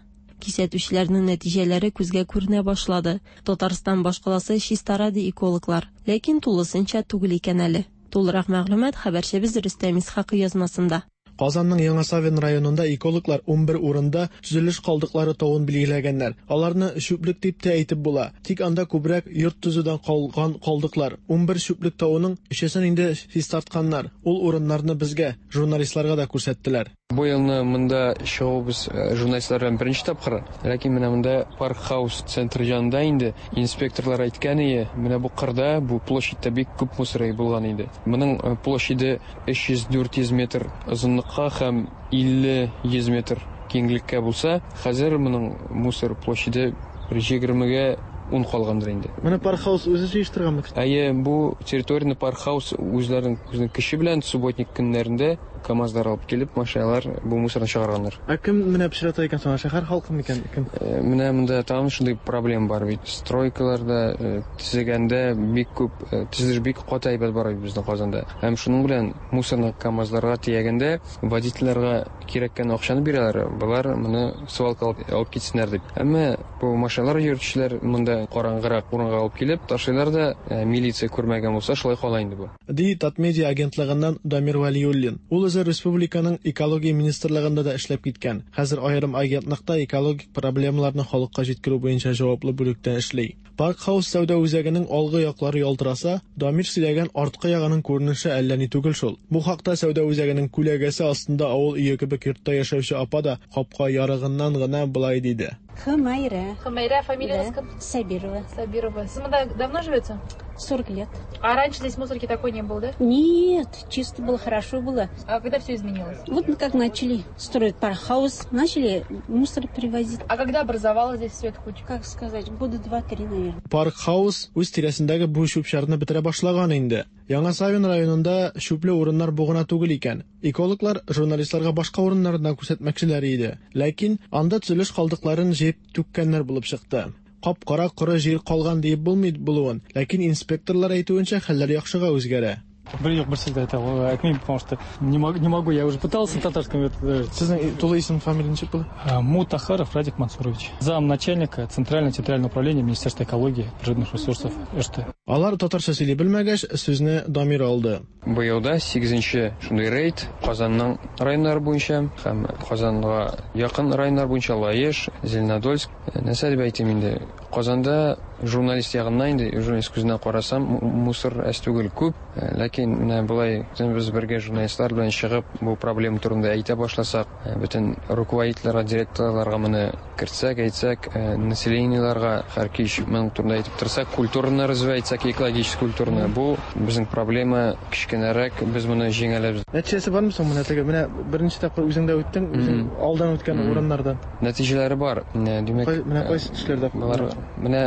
Кисәтүчеләрнең нәтиҗәләре күзгә күренә башлады. Татарстан башкаласы чистара ди экологлар. Ләкин тулысынча түгел икән әле. Тулырак мәгълүмат хәбәрчебез Рөстәм Исхакый язмасында. Казанның Яңа Савин районында экологлар 11 урында төзелеш калдыклары тавын билгеләгәннәр. Аларны чүплек дип тә әйтеп була. Тик анда күбрәк йорт төзүдән калган калдыклар. 11 чүплек тавының өчесен инде чистартканнар. Ул урыннарны безгә, журналистларга да күрсәттеләр. Бу елны монда чыгуыбыз журналистлар белән беренче тапкыр. Ләкин менә монда Парк Хаус центры янында инде инспекторлар әйткән ие, менә бу кырда, бу площадьта бик күп мусор булган иде. Моның площаде 300-400 метр озынлыкка һәм 50-100 метр киңлеккә булса, хәзер моның мусор площаде бер 20-гә 10 калгандыр инде. Моны Парк Хаус үзе җыештырганмы? Әйе, бу территорияне Парк Хаус үзләренең үзенең көче белән субботник көннәрендә КАМАЗлар алып килеп, машиналар бу мусорны чыгарганнар. Ә кем менә пычрата икән соң? Шәһәр халкы микән? Кем? Менә монда тагын шундый проблема бар бит. Стройкаларда төзегәндә бик күп төзелеш бик каты әйбәт бара бит безнең Казанда. Һәм шуның белән мусорны КАМАЗларга төягәндә водительләргә кирәккән акчаны бирәләр, болар моны свалка алып китсеннәр дип. Әмма бу машиналар йөртүчеләр монда караңгырак урынга алып килеп ташлыйлар да, милиция күрмәгән булса, шулай кала инде бу. Ди Татмедиа агентлыгыннан Дамир Вәлиуллин. Ул үзе республиканың экология министрлыгында да эшләп киткән. Хәзер аерым агентлыкта экологик проблемаларны халыкка җиткерү буенча җаваплы бүлектә эшли. Парк Хаус сәүдә үзәгенең алгы яклары ялтыраса, Дамир сөйләгән арткы ягының күренеше әллә ни түгел шул. Бу хакта сәүдә үзәгенең күләгәсе астында авыл өе кебек йортта яшәүче апа да капка ярыгыннан гына болай диде. Хымайра. Хымайра, фамилия да. Сабирова. Сабирова. Сез монда давно живете? 40 лет. А раньше здесь мусорки такой не было, да? Нет, чисто было, хорошо было. А когда все изменилось? Вот как начали строить пархаус, начали мусор привозить. А когда образовалась здесь все эта куча? Как сказать, года 2-3, наверное. Паркхаус үз тирәсендәге бу чүп-чарны бетерә башлаган инде. Яңа Савин районында чүпле урыннар бу гына түгел икән. Экологлар журналистларга башка урыннарны да күрсәтмәкчеләр иде. Ләкин анда төзелеш калдыкларын җыеп түккәннәр булып чыкты. Кап-кара коры җир калган диеп булмый булуын, ләкин инспекторлар әйтүенчә, хәлләр яхшыга үзгәрә. Бер юк, бер сүз дә әйтә әйтмим, потому что не могу, не могу, я уже пытался на татарском. Это... Сезнең тулы исем, фамилия ничек була? Мутахаров Радик Мансурович, зам начальника Центрального территориального управления Министерства экологии, природных ресурсов РТ. Алар татарча сөйли белмәгәч, сүзне Дамир алды. Быел да 8нче шундый рейд Казанның районнары буенча һәм Казанга якын районнар буенча Лаеш, Зеленодольск. Нәрсә дип әйтим инде, Казанда журналист ягыннан инде, журналист күзеннән карасам, мусор әз түгел күп. Ләкин менә болай без бергә журналистлар белән чыгып бу проблема турында әйтә башласак, бөтен руководительләргә, директорларга моны кертсәк, әйтсәк, населениеларга һәр кич моның турында әйтеп торсак, культураны развивать итсәк, экологический культураны, бу безнең проблема кечкенәрәк, без моны җиңә алабыз. Нәтиҗәсе бармы соң менә теге? Менә беренче тапкыр үзең дә үттең, үзең алдан үткән урыннардан. Нәтиҗәләре бар. Димәк, менә кайсы төшләрдә? Болар менә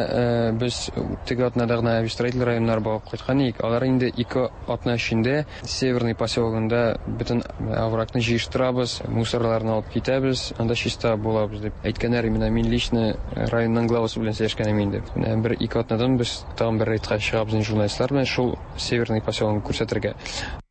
без теге атнада гына Авистроитель районнары барып кайткан идек. Алар инде 2 атна эчендә Северный поселогында бөтен оврагны җыештырабыз, мусорларны алып китәбез, анда чиста булабыз дип әйткәннәр. Менә мин лично районның главасы белән сөйләшкән идем инде. Менә бер-ике атнадан без тагын бер рейдка чыгабыз инде журналистлар белән шул Северный поселогын күрсәтергә.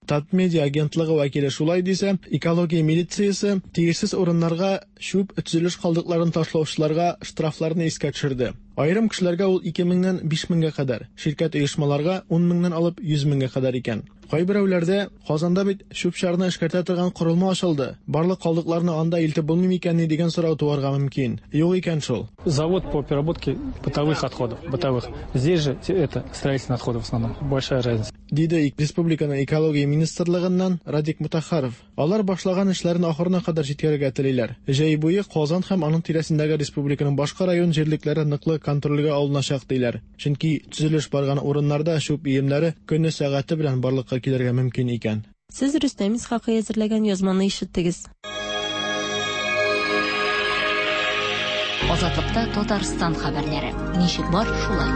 Татмедиа агентлыгы вәкиле шулай дисә, экология милициясе тиешсез урыннарга чүп, төзелеш калдыкларын ташлаучыларга штрафларны искә төшерде. Аерым кешеләргә ул 2 меңнән 5 меңгә кадәр, ширкәт оешмаларга 10 меңнән алып 100 меңгә кадәр икән. Кайберәүләрдә Казанда бит чүп-чарны эшкәртә торган корылма ачылды, барлык калдыкларны анда илтеп булмый микәнни дигән сорау туарга мөмкин. Юк икән шул. Завод по переработке бытовых отходов, бытовых. Здесь же это строительные отходы в основном. Большая разница. Диде республиканың экология министрлыгыннан Радик Мутахаров. Алар башлаган эшләрен ахырына кадәр җиткерергә телиләр. Җәй буе Казан һәм аның тирәсендәге республиканың башка район җирлекләре ныклы контрольгә алыначак диләр. Чөнки төзелеш барган урыннарда чүп өемнәре көне сәгате белән барлыкка килергә мөмкин икән. Сез Рөстәм Исхакый әзерләгән язманы ишеттегез. Азатлыкта Татарстан хәбәрләре. Ничек бар, шулай.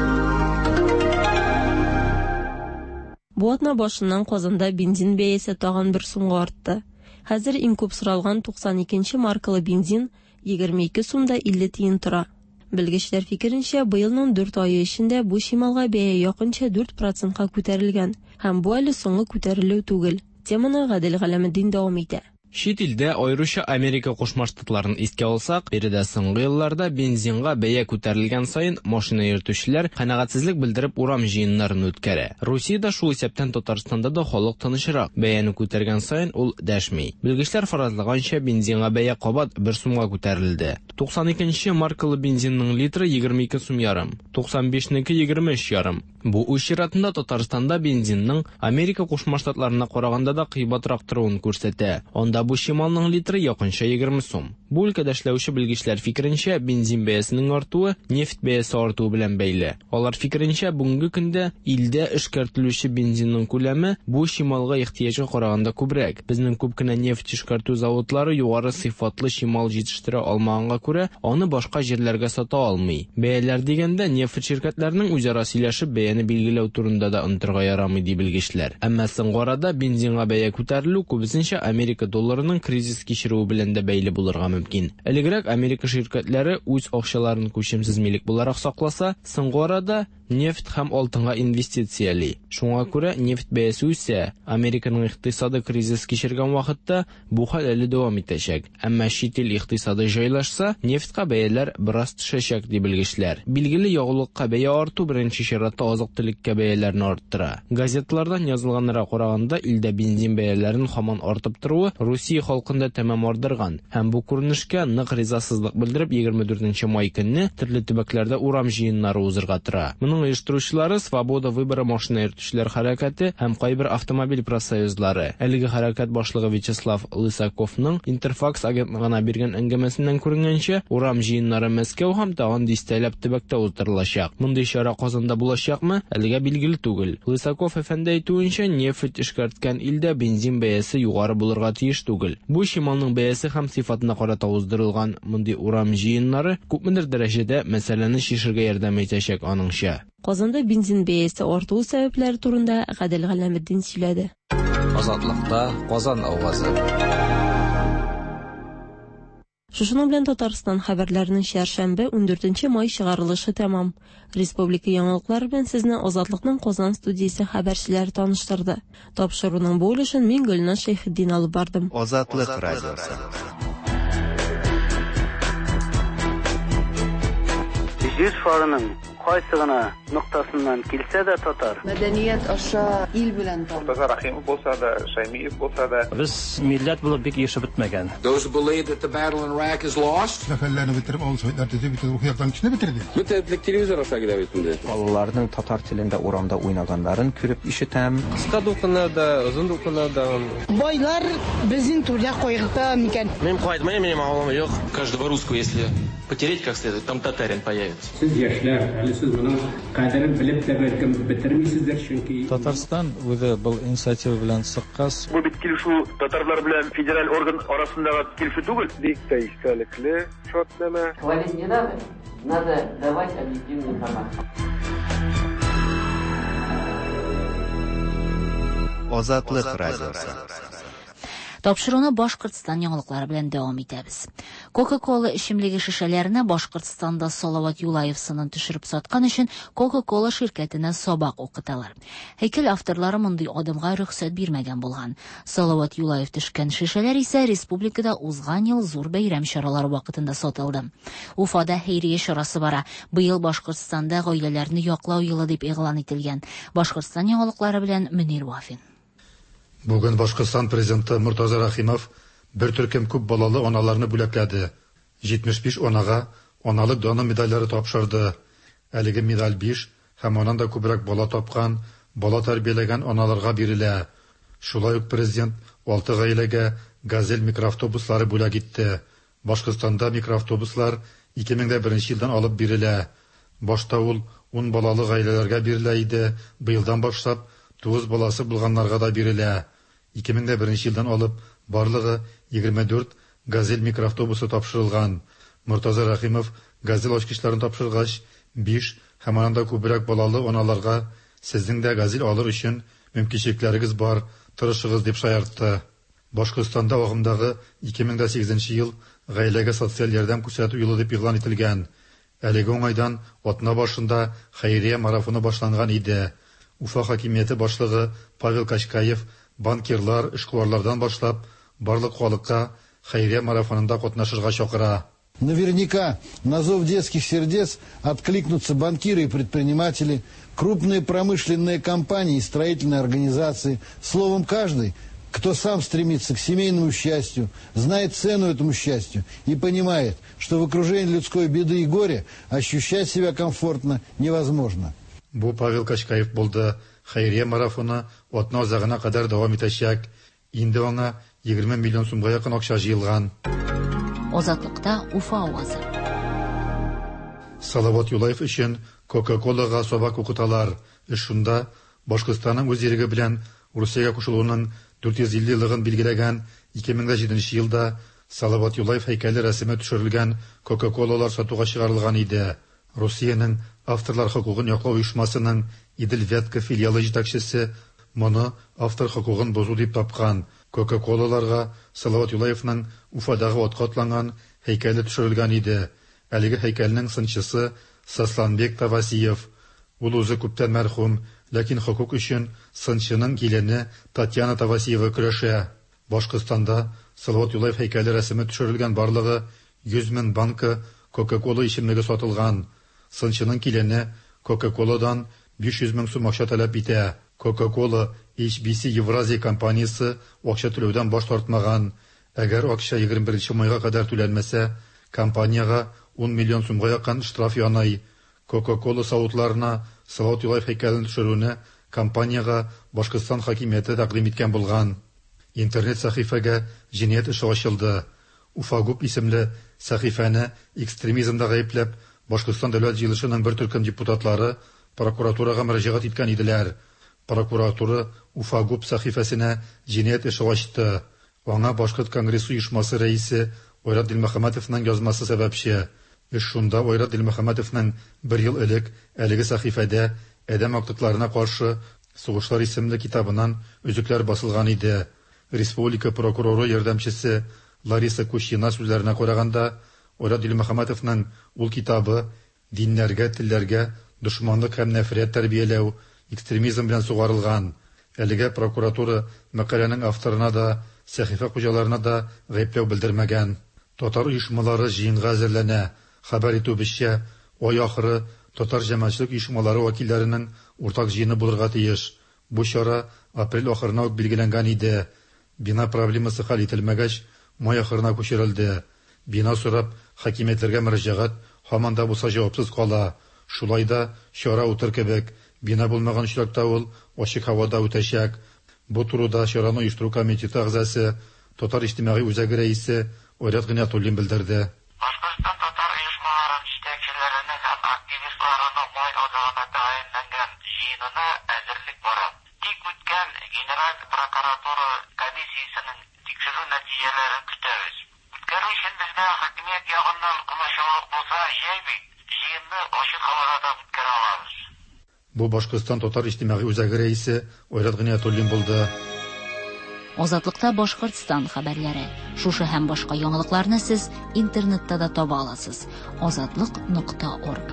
Бу атна башыннан Казанда бензин бәясе тагын бер сумга артты. Хәзер иң күп соралган 92 нче маркалы бензин 22 сум да 50 тиен тора. Белгечләр фикеренчә, быелның дүрт ае эчендә бу чималга бәя якынча 4 процентка күтәрелгән һәм бу әле соңгы күтәрелү түгел. Теманы Гадел Галәметдин дәвам итә. Чит илдә, аеруча Америка Кушма Штатларын искә алсак, биредә соңгы елларда бензинга бәя күтәрелгән саен машина йөртүчеләр канәгатьсезлек белдереп урам җыеннарын үткәрә. Русиядә, шул исәптән Татарстанда да халык тынычрак, бәяне күтәргән саен ул дәшми. Белгечләр фаразлаганча, бензинга бәя кабат бер сумга күтәрелде. 92 нче маркалы бензинның литры 22 сум ярым, 95 неке 23 ярым. Бу үз чиратында Татарстанда бензинның Америка Кушма Штатларына караганда да кыйбатрак торуын күрсәтә. Анда бу чималның литры якынча 20 сум. Бу өлкәдә эшләүче белгечләр фикеренчә, бензин бәясенең артуы нефть бәясе артуы белән бәйле. Алар фикеренчә, бүгенге көндә илдә эшкәртелүче бензинның күләме бу чималга ихтыяҗга караганда күбрәк. Безнең күп кенә нефть эшкәртү заводлары югары сыйфатлы чимал җитештерә алмаганга күрә, аны башка җирләргә сата алмый. Бәяләр дигәндә, нефть ширкәтләренең үзара сөйләшеп бәяне билгеләү турында да онытырга ярамый, ди белгечләр. Әмма соңгы арада бензинга бәя күтәрелү күбесенчә Америка долларының кризис кичерүе белән дә бәйле булырга мөмкин. Элегрәк Америка ширкәтләре үз акчаларын күчемсез милек буларак сакласа, соңгы арада нефть һәм алтынга инвестицияли. Шуңа күрә нефть бәясе үсә. Американың икътисады кризис кичергән вакытта бу хәл әле дәвам итәчәк. Әмма чит ил икътисады җайлашса, нефтька бәяләр бераз төшәчәк, ди белгечләр. Билгеле, ягулыкка бәя арту беренче чиратта азык-төлеккә бәяләрне арттыра. Газеталардан язылганнарга караганда, илдә бензин бәяләрен һаман артып торуы Русия халкын да тәмам ардырган. Һәм бу күренешкә нык ризасызлык белдереп, 24 май көнне төрле төбәкләрдә урам җыеннары узырга тора. Моның оештыручылары Свобода выбора машина йөртүчеләр хәрәкәте һәм кайбер автомобиль профсоюзлары. Әлеге хәрәкәт башлыгы Вячеслав Лысаковның Интерфакс агентлыгына биргән әңгәмәсеннән күренгәнчә, урам җыеннары Мәскәү һәм тагын дистәләп төбәктә уздырылачак. Мондый чара Казанда булачакмы, әлегә билгеле түгел. Лысаков әфәнде әйтүенчә, нефть эшкәрткән илдә бензин бәясе югары булырга тиеш түгел. Бу чималның бәясе һәм сыйфатына карата уздырылган мондый урам җыеннары күпмедер дәрәҗәдә мәсьәләне чишергә ярдәм итәчәк, аныңча. Казанда бензин бәясе артуы сәбәпләре турында Гадел Галләметдин сөйләде. Азатлыкта Казан авазы. Шушының белән Татарстан хәбәрләренең чәршәмбе 14 май чыгарылышы тәмам. Республика яңалыклары белән сезне Азатлыкның Казан студиясе хәбәрчеләре таныштырды. Тапшыруның бу өлешен мин Гөлназ Шәйхетдин алып бардым. Азатлык радиосы. Җир шарының кайсы гына ноктасыннан килсә дә татар. Мәдәният аша ил белән тану. Мортаза Рәхимов булса да, Шәймиев булса да. Без милләт булып бик ирешеп бетмәгән. Those who believe that the battle in Iraq is lost. Сәфәрләрне бетереп, авыл советлар төзеп, бөтен рухи яктан көчне бетерде. Бөтен телевизор аша килә бит инде. Балаларның татар телендә урамда уйнаганнарын күреп ишетәм. Кыска дулкыннарда, озын дулкыннарда. Байлар безнең түрдә кайгырта микән? Мин кайтмыйм, минем авылым юк. Каждого русского, если потереть как следует, там татарин появится. Сез яшьләр, әле сез моның кадерен белеп тә бәлкем бетермисездер, чөнки Татарстан үзе был инициатива белән чыккач, Бу бит килешү татарлар белән федераль орган арасындагы килешү түгел. Бик тә истәлекле шартнамә. Хвалить не надо, надо давать объективную информацию. Азатлык радиосы. Тапшыруны Башкортстан яңалыклары белән дәвам итәбез. Coca-Cola эчемлеге шешәләренә Башкортстанда Салават Юлаев сынын төшереп саткан өчен Coca-Cola ширкәтенә сабак укыталар. Һәйкәл авторлары мондый адымга рөхсәт бирмәгән булган. Салават Юлаев төшкән шешәләр исә республикада узган ел зур бәйрәм чаралары вакытында сатылды. Уфада хәйрия чарасы бара. Быел Башкортстанда гаиләләрне яклау елы дип игълан ителгән. Башкортстан яңалыклары белән Мөнир Вафин. Бүген Башкортстан президенты Мортаза Рәхимов бер төркем күп балалы аналарны бүләкләде. 75 анага аналык даны медальләре тапшырды. Әлеге медаль 5 һәм аннан да күбрәк бала тапкан, бала тәрбияләгән аналарга бирелә. Шулай ук президент 6 гаиләгә Газель микроавтобуслары бүләк итте. Башкортстанда микроавтобуслар 2001 елдан алып бирелә. Башта ул 10 балалы гаиләләргә бирелә иде, быелдан башлап 9 баласы булганнарга да бирелә. 2001 елдан алып барлыгы 24 Газель микроавтобусы тапшырылган. Мортаза Рәхимов Газель ачкычларын тапшыргач, 5 һәм аннан да күбрәк балалы аналарга сезнең дә Газель алыр өчен мөмкинчелекләрегез бар, тырышыгыз дип шаяртты. Башкортстанда агымдагы 2008 ел гаиләгә социаль ярдәм күрсәтү елы дип игълан ителгән. Әлеге уңайдан атна башында хәйрия марафоны башланган иде. Уфа хакимияте башлыгы Павел Качкаев банкирлар, эшкуарлардан башлап барлык халыкка хәйрия марафонында катнашырга чакыра. Наверняка на зов детских сердец откликнутся банкиры и предприниматели, крупные промышленные компании и строительные организации. Словом, каждый, кто сам стремится к семейному счастью, знает цену этому счастью и понимает, что в окружении людской беды и горя ощущать себя комфортно невозможно. Бу Павел Качкаев булды. Хәйрия марафоны атна азагына кадәр дәвам итәчәк. Инде аңа 20 миллион сумга якын акча җыелган. Азатлыкта Уфа авазы. Салават Юлаев өчен Кока-Колага сабак укыталар. Эш шунда, Башкортстанның үз иреге белән Русиягә кушылуының 450 еллыгын билгеләгән 2007 елда Салават Юлаев һәйкәле рәсеме төшерелгән Кока-Колалар сатуга чыгарылган иде. Русиянең авторлар хокукын яклау оешмасының Идел-Вятка филиалы җитәкчесе моны автор хокукын бозу дип тапкан. Кока-Колаларга Салават Юлаевның Уфадагы атка атланган һәйкәле төшерелгән иде. Әлеге һәйкәлнең сынчысы Сосланбек Тавасиев. Ул үзе күптән мәрхүм, ләкин хокук өчен сынчының килене Татьяна Тавасиева көрәшә. Башкортстанда Салават Юлаев һәйкәле рәсеме төшерелгән барлыгы 100 мең банка Кока-Кола эчемлеге сатылган. Сынчының килене Кока-Коладан 500 мең сум акча таләп итә. Кока-Кола HBC Евразия компаниясе акча түләүдән баш тартмаган. Әгәр акча 21 майга кадәр түләнмәсә, компаниягә 10 миллион сумга якын штраф яный. Кока-Кола савытларына Салават Юлаев һәйкәлен төшерүне компаниягә Башкортстан хакимияте тәкъдим иткән булган. Интернет сәхифәгә җинаять эше ачылды. Уфагуб исемле сәхифәне экстремизмда гаепләп, Башкортстан Дәүләт Җыелышының бер төркем депутатлары прокуратурага мөрәҗәгать иткән иделәр. Прокуратура Уфагуб сәхифәсенә җинаять эше ачты. Аңа Башкорт конгрессы оешмасы рәисе Айрат Дилмөхәммәтовның язмасы сәбәпче. Эш шунда, Айрат Дилмөхәммәтовның бер ел элек әлеге сәхифәдә Адәм актыкларына каршы сугышлар исемле китабыннан өзекләр басылган иде. Республика прокуроры ярдәмчесе Лариса Кущина сүзләренә караганда, Айрат Дилмөхәммәтовның ул китабы диннәргә, телләргә дошманлык һәм нәфрәт тәрбияләү, экстремизм белән сугарылган. Әлегә прокуратура мәкаләнең авторына да, сәхифә хуҗаларына да гаепләү белдермәгән. Татар оешмалары җыенга әзерләнә. Хәбәр итүебезчә, ай ахыры татар җәмәгатьчелек оешмалары вәкилләренең уртак җыены булырга тиеш. Бу чара апрель ахырына ук билгеләнгән иде. Бина проблемасы хәл ителмәгәч, май ахырына күчерелде. Бина сорап, хакимиятләргә мөрәҗәгать һаман да булса җавапсыз кала. Шулай да чара үтер кебек. Бина булмаган очракта ул ачык һавада үтәчәк. Бу турыда чараны оештыру комитеты әгъзасы, Татар иҗтимагый үзәге рәисе Айрат Гыйниятуллин белдерде. Башкортстан татар оешмаларын җитәкчеләренең һәм активистларының май азагына тәгаенләнгән җыенына әзерлек бара. Тик үткән Генераль прокуратура комиссиясенең тикшерү нәтиҗәләрен көтәбез. Үткәрү өчен безгә хакимият ягыннан комачаулык булса, җәй бит, җыенны ачык һавада да үткәрә алабыз. Бу Башкортстан татар иҗтимагый үзәге рәисе Айрат Гыйниятуллин булды. Азатлыкта Башкортстан хәбәрләре. Шушы һәм башка яңалыкларны сез интернетта да таба аласыз. Азатлык нокта орг.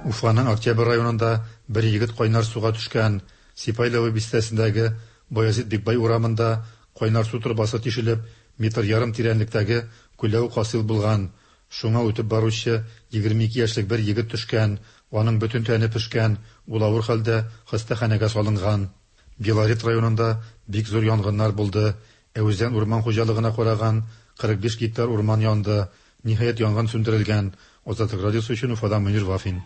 Уфаның Октябрь районында бер егет кайнар суга төшкән. Сипайлово бистәсендәге Баязит Бикбай урамында кайнар су торбасы тишелеп, метр ярым тирәнлектәге күләвек хасил булган. Шуңа үтеп баручы 22 яшьлек бер егет төшкән, аның бөтен тәне пешкән, ул авыр хәлдә хастаханәгә салынган. Белорет районында бик зур янгыннар булды. Әүзән урман хуҗалыгына караган 45 гектар урман янды. Ниһаять, янгын сүндерелгән. Азатлык радиосы өчен Уфадан Мөнир Вафин.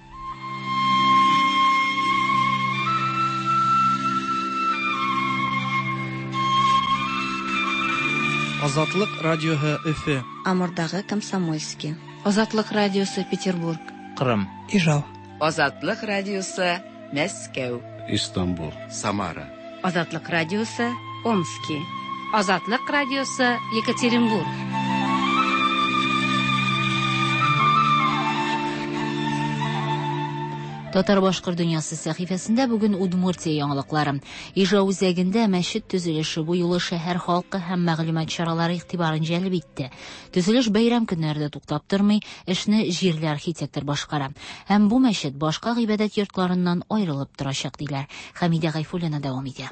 Азатлык радиоһы Өфе. Амурдагы Комсомольский. Азатлык радиосы Петербург. Кырым. Ижау. Азатлык радиосы Мәскәү. Истанбул. Самара. Азатлык радиосы Омски. Азатлык радиосы Екатеринбург. Татар-башкорт дөньясы сәхифәсендә бүген Удмуртия яңалыклары. Ижау үзәгендә мәчет төзелеше бу юлы шәһәр халкы һәм мәгълүмат чаралары игътибарын җәлеп итте. Төзелеш бәйрәм көннәрендә туктап тормый, эшне җирле архитектор башкара. Һәм бу мәчет башка гыйбадәт йортларыннан аерылып торачак, диләр. Хәмидә Гайфуллина дәвам итә.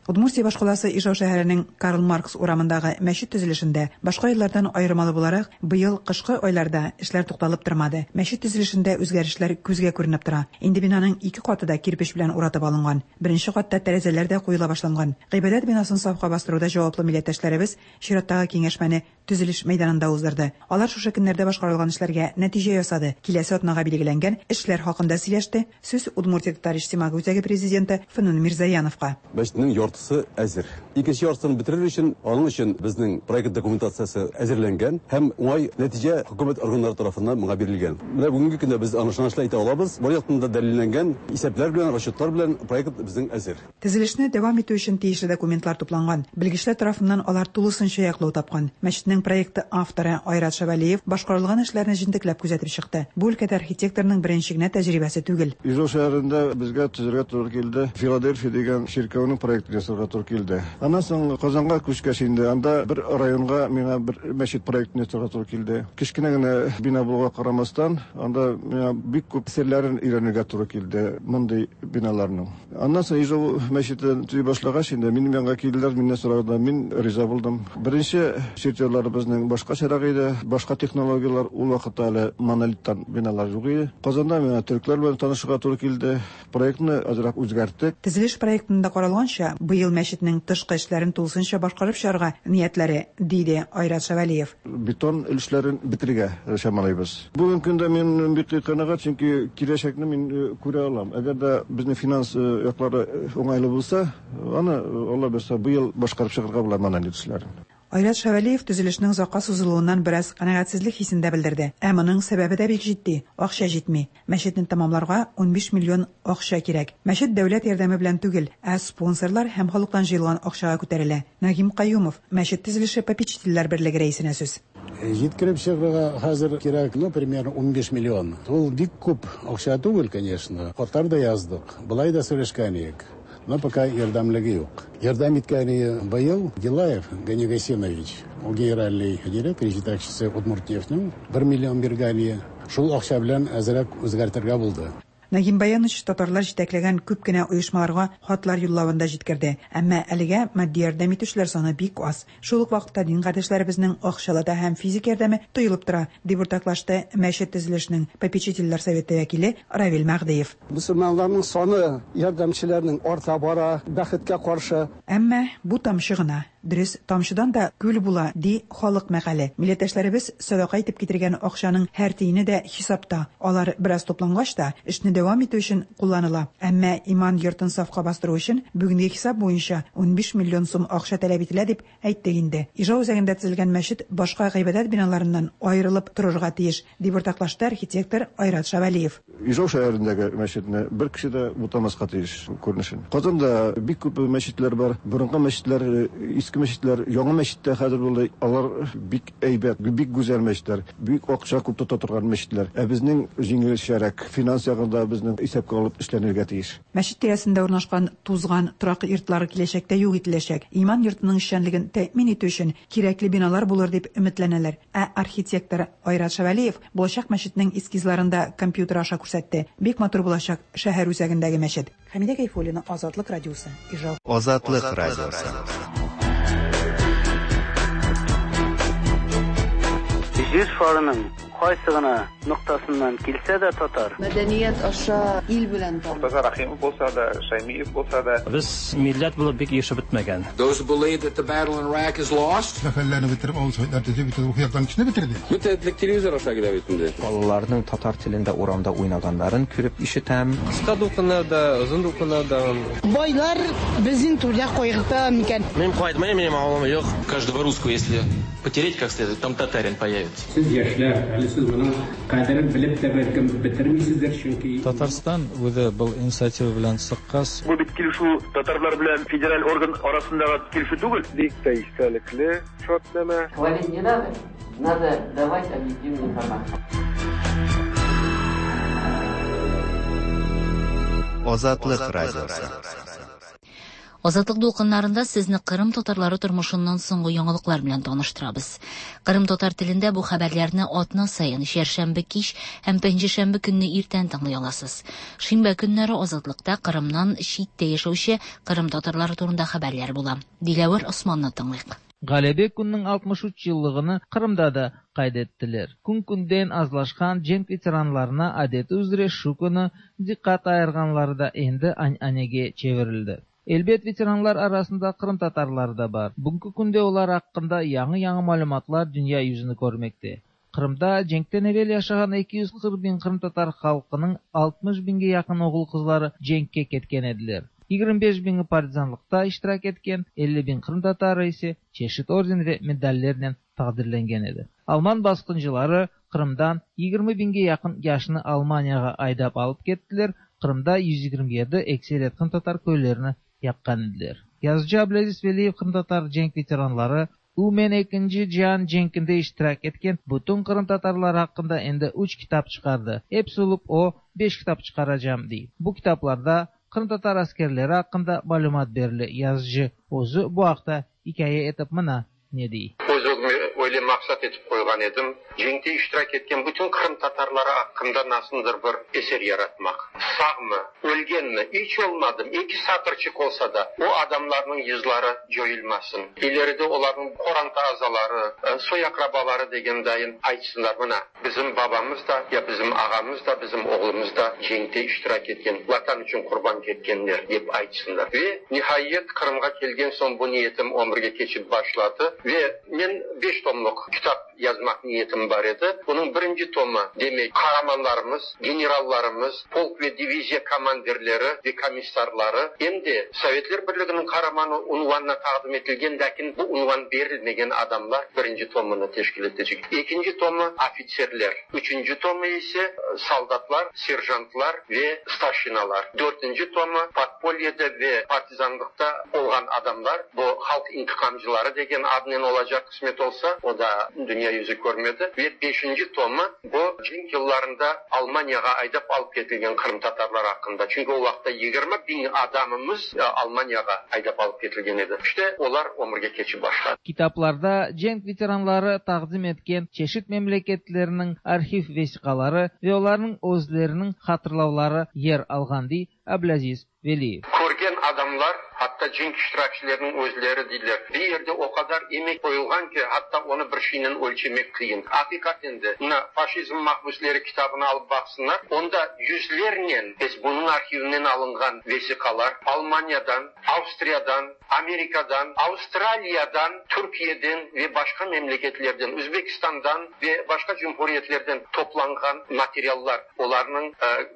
Удмуртия башкаласы Ижау шәһәренең Карл Маркс урамындагы мәчет төзелешендә башка еллардан аермалы буларак, быел кышкы айларда эшләр тукталып тормады. Мәчет төзелешендә үзгәрешләр күзгә күренеп тора. Инде бинаның ике каты да кирпеч белән уратып алынган. Беренче катта тәрәзәләр дә куела башланган. Гыйбадәт бинасын сафка бастыруда җаваплы милләттәшләребез чираттагы киңәшмәне төзелеш мәйданында уздырды. Алар шушы көннәрдә башкарылган эшләргә нәтиҗә ясады, киләсе атнага билгеләнгән эшләр хакында сөйләште. Сүз Удмуртия татар иҗтимагый үзәге президенты Фнүн Мирзаяновка. Мәчетнең яртысы әзер. Икенче яртысын бетерер өчен, аның өчен безнең проект документациясе әзерләнгән һәм уңай нәтиҗә хөкүмәт органнары тарафыннан моңа бирелгән. Менә бүгенге көндә без аны ышанычлы әйтә алабыз, бар яктан да дәлилләнгән исәпләр белән, расчетлар белән проект безнең әзер. Төзелешне дәвам итү өчен тиешле документлар тупланган. Белгечләр тарафыннан алар тулысынча яклау тапкан. Мәчетнең проекты авторы Айрат Шәвәлиев башкарылган эшләрне җентекләп күзәтеп чыкты. Бу өлкәдә архитекторның беренче генә тәҗрибәсе түгел. Ижау шәһәрендә безгә төзергә туры килде. Филадельфия дигән чиркәүнең проектын ясарга туры килде. Аннан соң Казанга күчкәч инде анда бер районга миңа бер мәчет проектын ясарга туры килде. Кечкенә генә бина булуга карамастан, анда миңа бик күп серләрен өйрәнергә туры килде мондый биналарның. Аннан соң Ижау мәчетен төзи башлагач, инде минем янга килделәр, миннән сорадылар, мин риза булдым. Беренче чертежларыбызның башкачарак иде, башка технологияләр, ул вакытта әле монолиттан биналар юк иде. Казанда миңа төрекләр белән танышырга туры килде. Проектны азрак үзгәрттек. Төзелеш проектында каралганча, быел мәчетнең тышкы эшләрен тулысынча башкарып чыгарга ниятләре, диде Айрат Шәвәлиев. Бетон өлешләрен бетерергә чамалыйбыз. Бүгенге көндә мин бик канәгать, чөнки киләчәкне мин күрә алам. Әгәр дә безнең финанс яклары уңайлы булса, аны, Алла бирса, быел башкарып чыгарга була монолит эшләрен. Айрат Шәвәлиев төзелешнең озакка сузылуыннан бераз канәгатьсезлек хисен дә белдерде. Ә моның сәбәбе дә бик җитди, акча җитми. Мәчетне тәмамларга 15 миллион акча кирәк. Мәчет дәүләт ярдәме белән түгел, ә спонсорлар һәм халыктан җыелган акчага күтәрелә. Нагим Каюмов, мәчет төзелеше попечительләр берлеге рәисенә сүз. Җиткереп чыгарга хәзер кирәк, ну, примерно 15 миллион. Ул бик күп акча түгел, конечно. Хатлар да яздык, болай да сөйләшкән идек. Но пока ярдәмлеге юк. Ярдәм иткәне быел Гилаев Гани Гасинович, ул генеральный директор, җитәкчесе Удмуртнефтьнең 1 миллион биргәне. Шул акча белән әзрәк үзгәртергә булды. Нагим Баянович татарлар җитәкләгән күп кенә оешмаларга хатлар юллавын да җиткерде. Әмма әлегә матди ярдәм итүчеләр саны бик аз. Шул ук вакытта дин кардәшләребезнең акчалата һәм физик ярдәме тоелып тора, дип уртаклашты мәчет төзелешенең попечительләр советы вәкиле Равил Мәһдиев. Мөселманнарның саны ярдәмчеләрнең арта бара, бәхеткә каршы. Әмма бу тамчы гына. Дөрес, тамчыдан да күл була, ди халык мәкале. Милләттәшләребез сәдака итеп китергән акчаның һәр тиене дә хисапта. Алар бераз туплангач та, эшне дәвам итү өчен кулланыла. Әмма иман йортын сафка бастыру өчен бүгенге хисап буенча 15 миллион сум акча таләп ителә дип әйттек инде. Ижау үзәгендә төзелгән мәчет башка гыйбадәт биналарыннан аерылып торырга тиеш, дип уртаклашты архитектор Айрат Шәвәлиев. Ижау шәһәрендәге мәчетне бер кеше дә бутамаска тиеш күренешен. Казанда бик күп мәчетләр бар. Борынгы мәчетләр, иске мәчетләр, яңа мәчеттә хәзер булды. Алар бик әйбәт, бик гүзәл мәчетләр, бик акча күп тота торган мәчетләр. Ә безнең җиңелчәрәк, финанс ягында безнең исәпкә алып эшләнергә тиеш. Мәчет тирәсендә урнашкан тузган торак йортлары киләчәктә юк ителәчәк. Иман йортының эшчәнлеген тәэмин итү өчен кирәкле биналар булыр дип өметләнәләр. Ә архитектор Айрат Шәвәлиев булачак мәчетнең эскизларын да компьютер аша күрсәтте. Бик матур булачак шәһәр үзәгендәге мәчет. Хәмидә Гайфуллина, Азатлык радиосы, Ижау. Азатлык радиосы. Җир шарының кайсы гына ноктасыннан килсә дә татар. Мәдәният аша ил белән таныш. Мортаза Рахимов булса да, Шаймиев булса да. Без милләт булып бик ирешеп бетмәгән. Those who believe that the battle in Iraq is lost. Сәфәрләрне бетереп, авыл советлар төзеп, бөтен рухи яктан кешене бетерде. Бөтен телевизор аша килә бит инде. Балаларның татар телендә урамда уйнаганнарын күреп ишетәм. Кыска дулкыннарда, озын дулкыннарда. Байлар безнең түрдә кайгырта микән? Мин кайтмыйм, минем авылым юк. Каждого русского, если потереть как следует, там татарин появится. Сез яшьләр, әле сез моның кадерен белеп тә бәлкем бетермисездер, чөнки Татарстан үзе был инициатива белән чыккач, Бу бит килешү татарлар белән федераль орган арасындагы килешү түгел. Бик тә истәлекле шартнамә. Хвалить не надо, надо давать объективную информацию. Азатлык радиосы. Азатлык дулкыннарында сезне Кырым татарлары тормышыннан соңгы яңалыклар белән таныштырабыз. Кырым татар телендә бу хәбәрләрне атна саен чәршәмбе кич һәм пәнҗешәмбе көнне иртән тыңлый аласыз. Шимбә көннәре Азатлыкта Кырымнан читтә яшәүче кырым татарлары турында хәбәрләр була. Диләвер Османны тыңлыйк. Ğalebe kününiñ 63 yıllığını Qırımda da qayd ettiler. Kün-künden azlaşqan cenk veteranlarına adeti üzre şu künü diqqat ayırğanları da endi ananege çevirildi. Elbet, veteranlar arasında qırımtatarları da bar. Bugünki künde olar aqqında yañı-yañı malümatlar dünya yüzüni körmekte. Qırımda cenkten evel yaşağan 240 biñ qırımtatar halqınıñ 60 biñge yaqın oğul-qızları cenkke ketken ediler. 25 biñi partizanlıqta iştirak etken, 50 biñ qırımtatarı ise çeşit orden ve medallernen taqdirlengen edi. Alman basqıncıları Qırımdan 20 biñge yaqın yaşnı Almaniyağa aydap alıp kettiler, Qırımda 127 ekseriyet qırımtatar köylerini yaqqan ediler. Yazıcı Ablâziz Veliyev qırımtatar cenk veteranları, umumen Ekinci cian cenkinde iştirak etken bütün qırımtatarlar aqqında endi üç kitap çıqardı. Episi olıp o, beş kitap çıqaracam, dey. Bu kitaplarda qırımtatar askerleri aqqında malümat berile. Yazıcı özü bu aqta ikâye etip mına ne dey. Öz özüme öyle maqsat etip qoyğan edim, cenkte iştirak etken bütün qırımtatarları aqqında nasıldır bir eser yaratmaq. Sağmı, ölgenmi, iç olmadım eki satırçıq olsa da, o adamlarnıñ yızları coyulmasın. İleride olarnıñ qoranta azaları, soy-aqrabaları degen dayın aytsınlar, mına, bizim babamız da, ya bizim ağamız da, bizim oğlumız da cenkte iştirak etken, Vatan içün qurban ketkenler, dep aytsınlar. Ve, nihayet, Qırımğa kelgen soñ bu niyetim ömürge keçip başladı ve men beş tomluq kitap yazmaq niyetim bar edi. Bunıñ birinci tomı, demek, qaramanlarımız, generallarımız, polk ve diviziya komandirleri ve komissarları, em de Sovetler Birliginiñ Qaramanı unvanına taqdim etilgen, lâkin bu unvan berilmegen adamlar birinci tomını teşkil etecek. Ekinci tomı, ofitserler, üçünci tomı ise, soldatlar, serjantlar ve starşinalar, dörtünci tomı, podpolyede ve partizanlıqta olğan adamlar, bu halq intiqamcıları degen adnen olacaq, qısmet olsa, o da dünya yüzü körmedi, ve beşinci tomı, bu cenk yıllarında Almaniyağa aydap alıp ketilgen qırımtatarlar aqqında, çünki o vaqıtta 20 biñ adamımız Almaniyağa aydap alıp ketilgen edi. İşte, olar ömürge keçip başladı. Kitaplarda cenk veteranları taqdim etken çeşit memleketlerniñ arhiv vesiqaları ve olarnıñ özleriniñ hatırlavları yer alğan, dey Ablâziz Veliyev. Körgen adamlar, hatta cenk iştirakçileriniñ özleri deyler, bir yerde o qadar emek qoyulğan ki, hatta onı bir şeynen ölçemek qıyın. Aqiqaten de, mına, Faşizm mahbüsleri kitabını alıp baqsınlar, onda yüzlernen SBUnıñ arhivinden alınğan vesiqalar, Almaniyadan, Avstriyadan, Amerikadan, Avstraliyadan, Türkiyeden ve başqa memleketlerden, Üzbekistandan ve başqa cumhuriyetlerden toplanğan materiallar, olarnıñ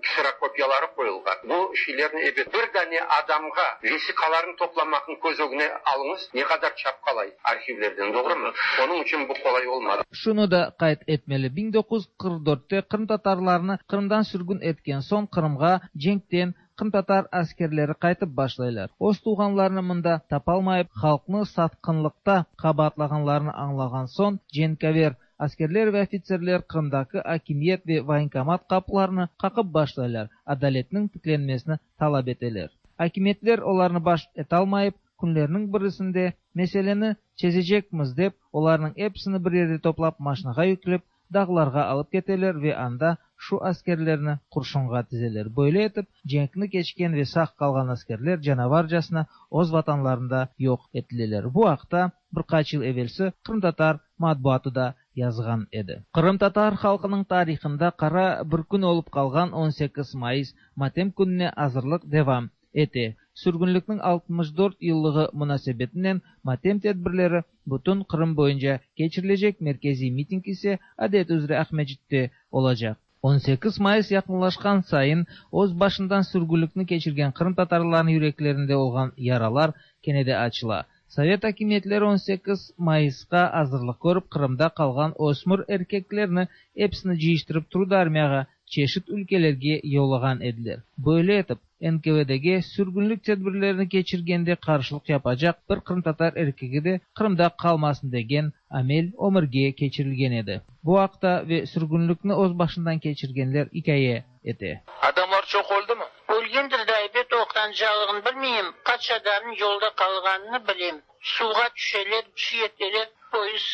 kserokopiyaları qoyulğan. Bu şeylerni, ebet, bir dane adamğa vesiqalarnı toplamaqnı köz ögüne alıñız, ne qadar çapqalay arhivlerden, doğrumı? Onıñ içün bu qolay olmadı. Şunı da qayd etmeli, 1944-te qırımtatarlarnı Qırımdan sürgün etken soñ Qırımğa cenkten Qırımtatar askerleri qaytıp başlaylar. Öz tuvğanlarını mında tapalmayıp, halqnı satqınlıqta qabaatlağanlarını añlağan soñ, cenkâver askerler ve ofitserler Qırımdaki akimiyet ve voyenkomat qapılarını qaqıp başlaylar, adaletniñ tiklenmesini talap eteler. Akimiyetler olarnı baş etalmayıp, künlerniñ birisinde meseleni çezecekmiz dep, olarnıñ episini bir yerde toplap maşinağa yüklep, dağlarğa alıp keteler ve anda şu askerlerni qurşunğa tizeler. Böyle etip, cenkni keçken ve sağ qalğan askerler canavarcasına öz vatanlarında yoq etileler. Bu aqta bir qaç yıl evelsi qırımtatar matbuatı da yazğan edi. Qırımtatar halqınıñ tarihında qara bir kün olıp qalğan 18 mayıs matem kününe azırlıq devam ete. Sürgünlikniñ 64 yıllığı munasebetinen matem tedbirleri bütün Qırım boyunca keçirilecek, merkeziy miting ise adet üzre Aqmescitte olacaq. 18 mayıs yaqınlaşqan sayın öz başından sürgünlikni keçirgen qırımtatarlarnıñ yüreklerinde olğan yaralar kene de açıla. Sovet akimiyetleri 18 mayısqa azırlıq körip, Qırımda qalğan ösmür erkeklerni episini cıyıştırıp trudarmiyağa çeşit ülkelerge yollağan ediler. Böyle etip, NKVDge sürgünlik tedbirlerini keçirgende qarşılıq yapacaq bir qırımtatar erkegi de Qırımda qalmasın degen amel ömürge keçirilgen edi. Bu aqta ve sürgünlikni öz başından keçirgenler ikâye ete. Adamlar çoq öldümi? Ölgendir de ebet oqrancalığını bilmeyim, qaç adamnıñ yolda qalğanını bilem. Suvğa tüşeler, bir şey eteler, poyezd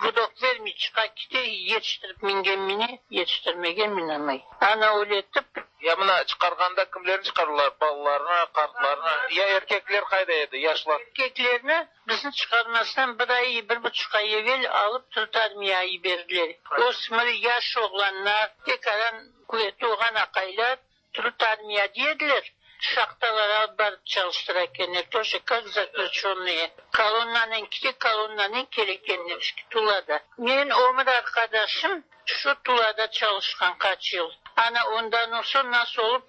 gudok vermey çıqa kete, yetiştirip mingen mine, yetiştirmegen minamay. Ana öyle etip. Ya mına çıqarğanda kimlerni çıqardılar, balalarnı, qartlarnı, ya erkekler qayda edi, yaşlar? Erkeklerni bizni çıqarmasdan bir ay, bir buçuq ay evel alıp Türk armiyağa yiberdiler. Ösmür, yaş oğlanlar, tekaran quvetli olğan aqaylar Türk armiya dediler, şahtalara alıp barıp çalıştıra ekenler, тоже как zaklüçönnıye. Kolonnanen kite, kolonnanen kele ekenler Tulada. Men ömür arqadaşım şu Tulada çalışqan qaç yıl. Ana ondan soñ nasıl olıp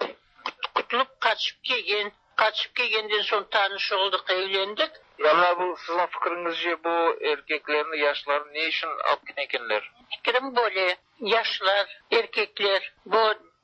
qutulıp qaçıp kelgen. Qaçıp kelgenden soñ tanış oldıq, evlendik. Ya mına bu siziñ fikriñizce bu erkeklerni, yaşlarnı ne içün alıp ketken ekenler? Fikrim böyle, Yaşlar, erkekler bu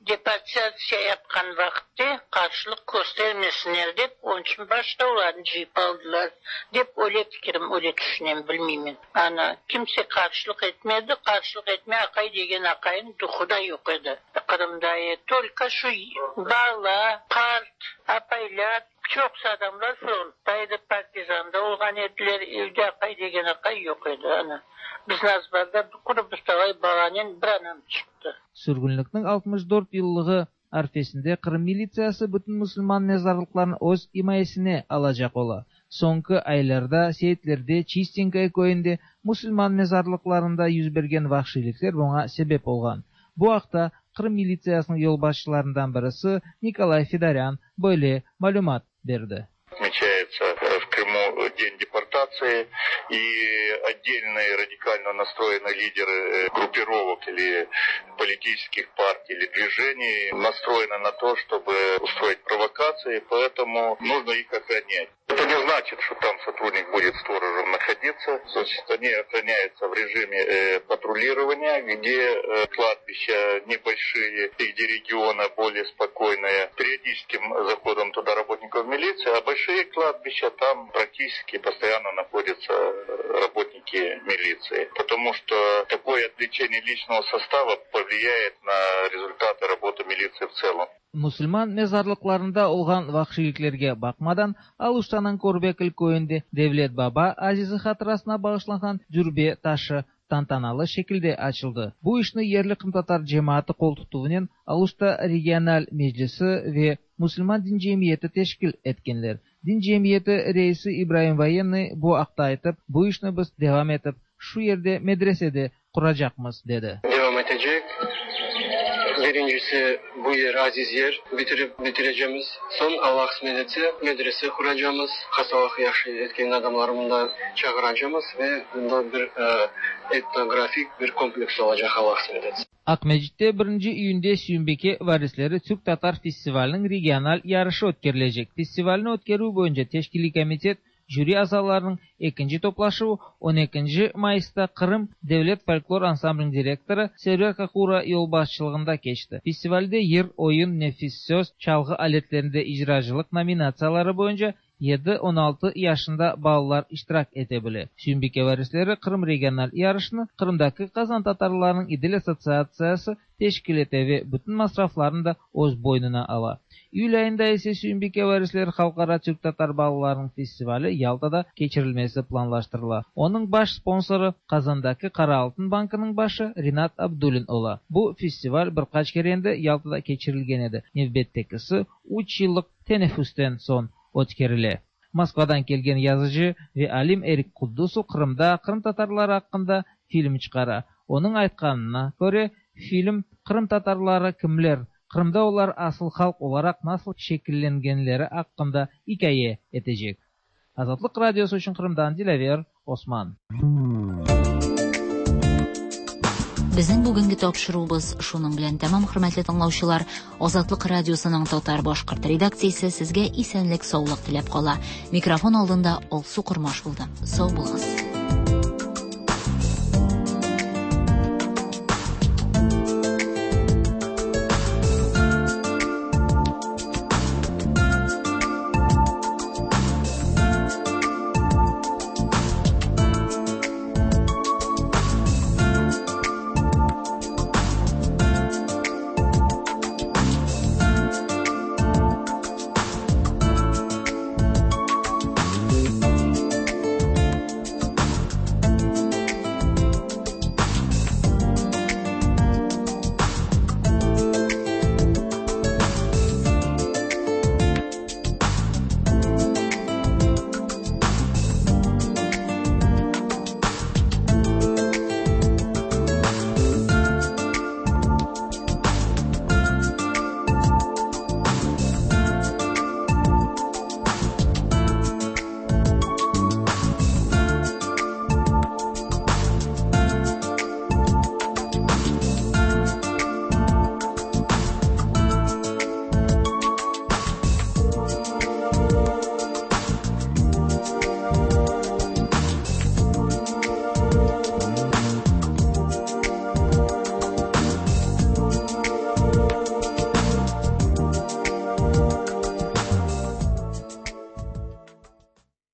deportatsiya yapqan vaqıtte qarşılıq köstermesinler dep, onıñ içün başta olarnı cıyıp aldılar, dep öyle fikirim, öyle tüşünem, bilmeymen. Ana, kimse qarşılıq etmedi, qarşılıq etme aqay degen aqaynıñ duhu da yoq edi Qırımda, tolko şu bala, qart, apaylar, çoqusı adamlar frontta edi, partizanda olğan ediler, evde aqay degen aqay yoq edi, ana. Bizni azbarda quru bir talay balanen bir anam çıqtı. Sürgünlikniñ 64 yıllığı arfesinde Qırım militsiyası bütün musulman mezarlıqlarını öz imayesine alacaq ola. Soñki aylarda Seytlerde, Çistenkoye köyünde musulman mezarlıqlarında yüz bergen vahşiylikler buña sebep olğan. Bu aqta Qırım militsiyasınıñ yolbaşçılarından birisi Nikolay Fedorân böyle malümat berdi. Отмечается в Крыму День депортации, и отдельные радикально настроенные лидеры группировок или политических партий или движений настроены на то, чтобы устроить провокации, поэтому нужно их охранять. Это не значит, что там сотрудник будет сторожем находиться. Значит, они охраняются в режиме патрулирования, где кладбища небольшие и где регионы более спокойные. Периодическим заходом туда работников милиции, а большие кладбища там практически постоянно находятся работники милиции. Потому что такое отвлечение личного состава повлияет на результаты работы милиции в целом. Musulman mezarlıqlarında olğan vahşiyliklerge baqmadan, Aluştanıñ Körbekül köyünde Devlet Baba azizi hatırasına bağışlanğan dürbe taşı tantanalı şekilde açıldı. Bu işni yerli qırımtatar cemaatı qoltutuvınen Aluşta regional meclisi ve Musulman din cemiyeti teşkil etkenler. Din cemiyeti reisi İbraim Voyennıy bu aqta aytıp, Bu işni biz devam etip, şu yerde medrese de quracaqmız, dedi. Devam etecek. Birincisi, bu yer aziz yer, bitirip bitirecemiz. Soñ, Alla qısmet etse, medrese quracamız, hastalıqı yahşı etken adamları mında çağıracamız ve mında bir etnografik bir kompleks olacaq, Alla qısmet etse. Aqmescitte birinci iyünde Süyümbike varisleri türk-tatar festivaliniñ regional yarışı ötkerilecek. Festivalni ötkerüv boyunca teşkiliy komitet jüri azalarınıñ ekinci toplaşuvı on ekinci mayısta Qırım devlet folklor ansambliniñ direktorı Server Kakura yolbaşçılığında keçti. Festivalde yır, oyun, nefis söz, çalğı aletlerinde icracılıq nominatsiyaları boyunca yedi, 16 yaşında balalar iştirak ete bile. Süyümbike varisleri Qırım regional yarışını Qırımdaki qazantatarlarınıñ İdil assotsiatsiyası teşkil ete ve bütün masraflarnı da öz boynuna ala. İyül ayında ise Süyümbike varisleri halqara türk-tatar balalarınıñ festivali Yaltada keçirilmesi planlaştırıla. Onıñ baş sponsorı Qazandaki Qara altın bankınıñ başı Rinat Abdullin ola. Bu festival bir qaç kere endi Yaltada keçirilgen edi, nevbettekisi üç yıllıq teneffüsten soñ ötkerile. Moskvadan kelgen yazıcı ve alim Erik Kuddusov Qırımda qırımtatarlar aqqında film çıqara. Onıñ aytqanına köre, film qırımtatarları kimler, Qırımda olar asıl halq olaraq nasıl şekillengenleri aqqında ikâye etecek. Azatlıq Radiosı içün Qırımdan Dilâver Osman. Безнең бүгенге тапшыруыбыз шуның белән тәмам, хөрмәтле тыңлаучылар. Азатлык радиосының татар-башкорт редакциясе сезгә исәнлек-саулык теләп кала. Микрофон алдында Алсу Кормаш булды. Сау булыгыз.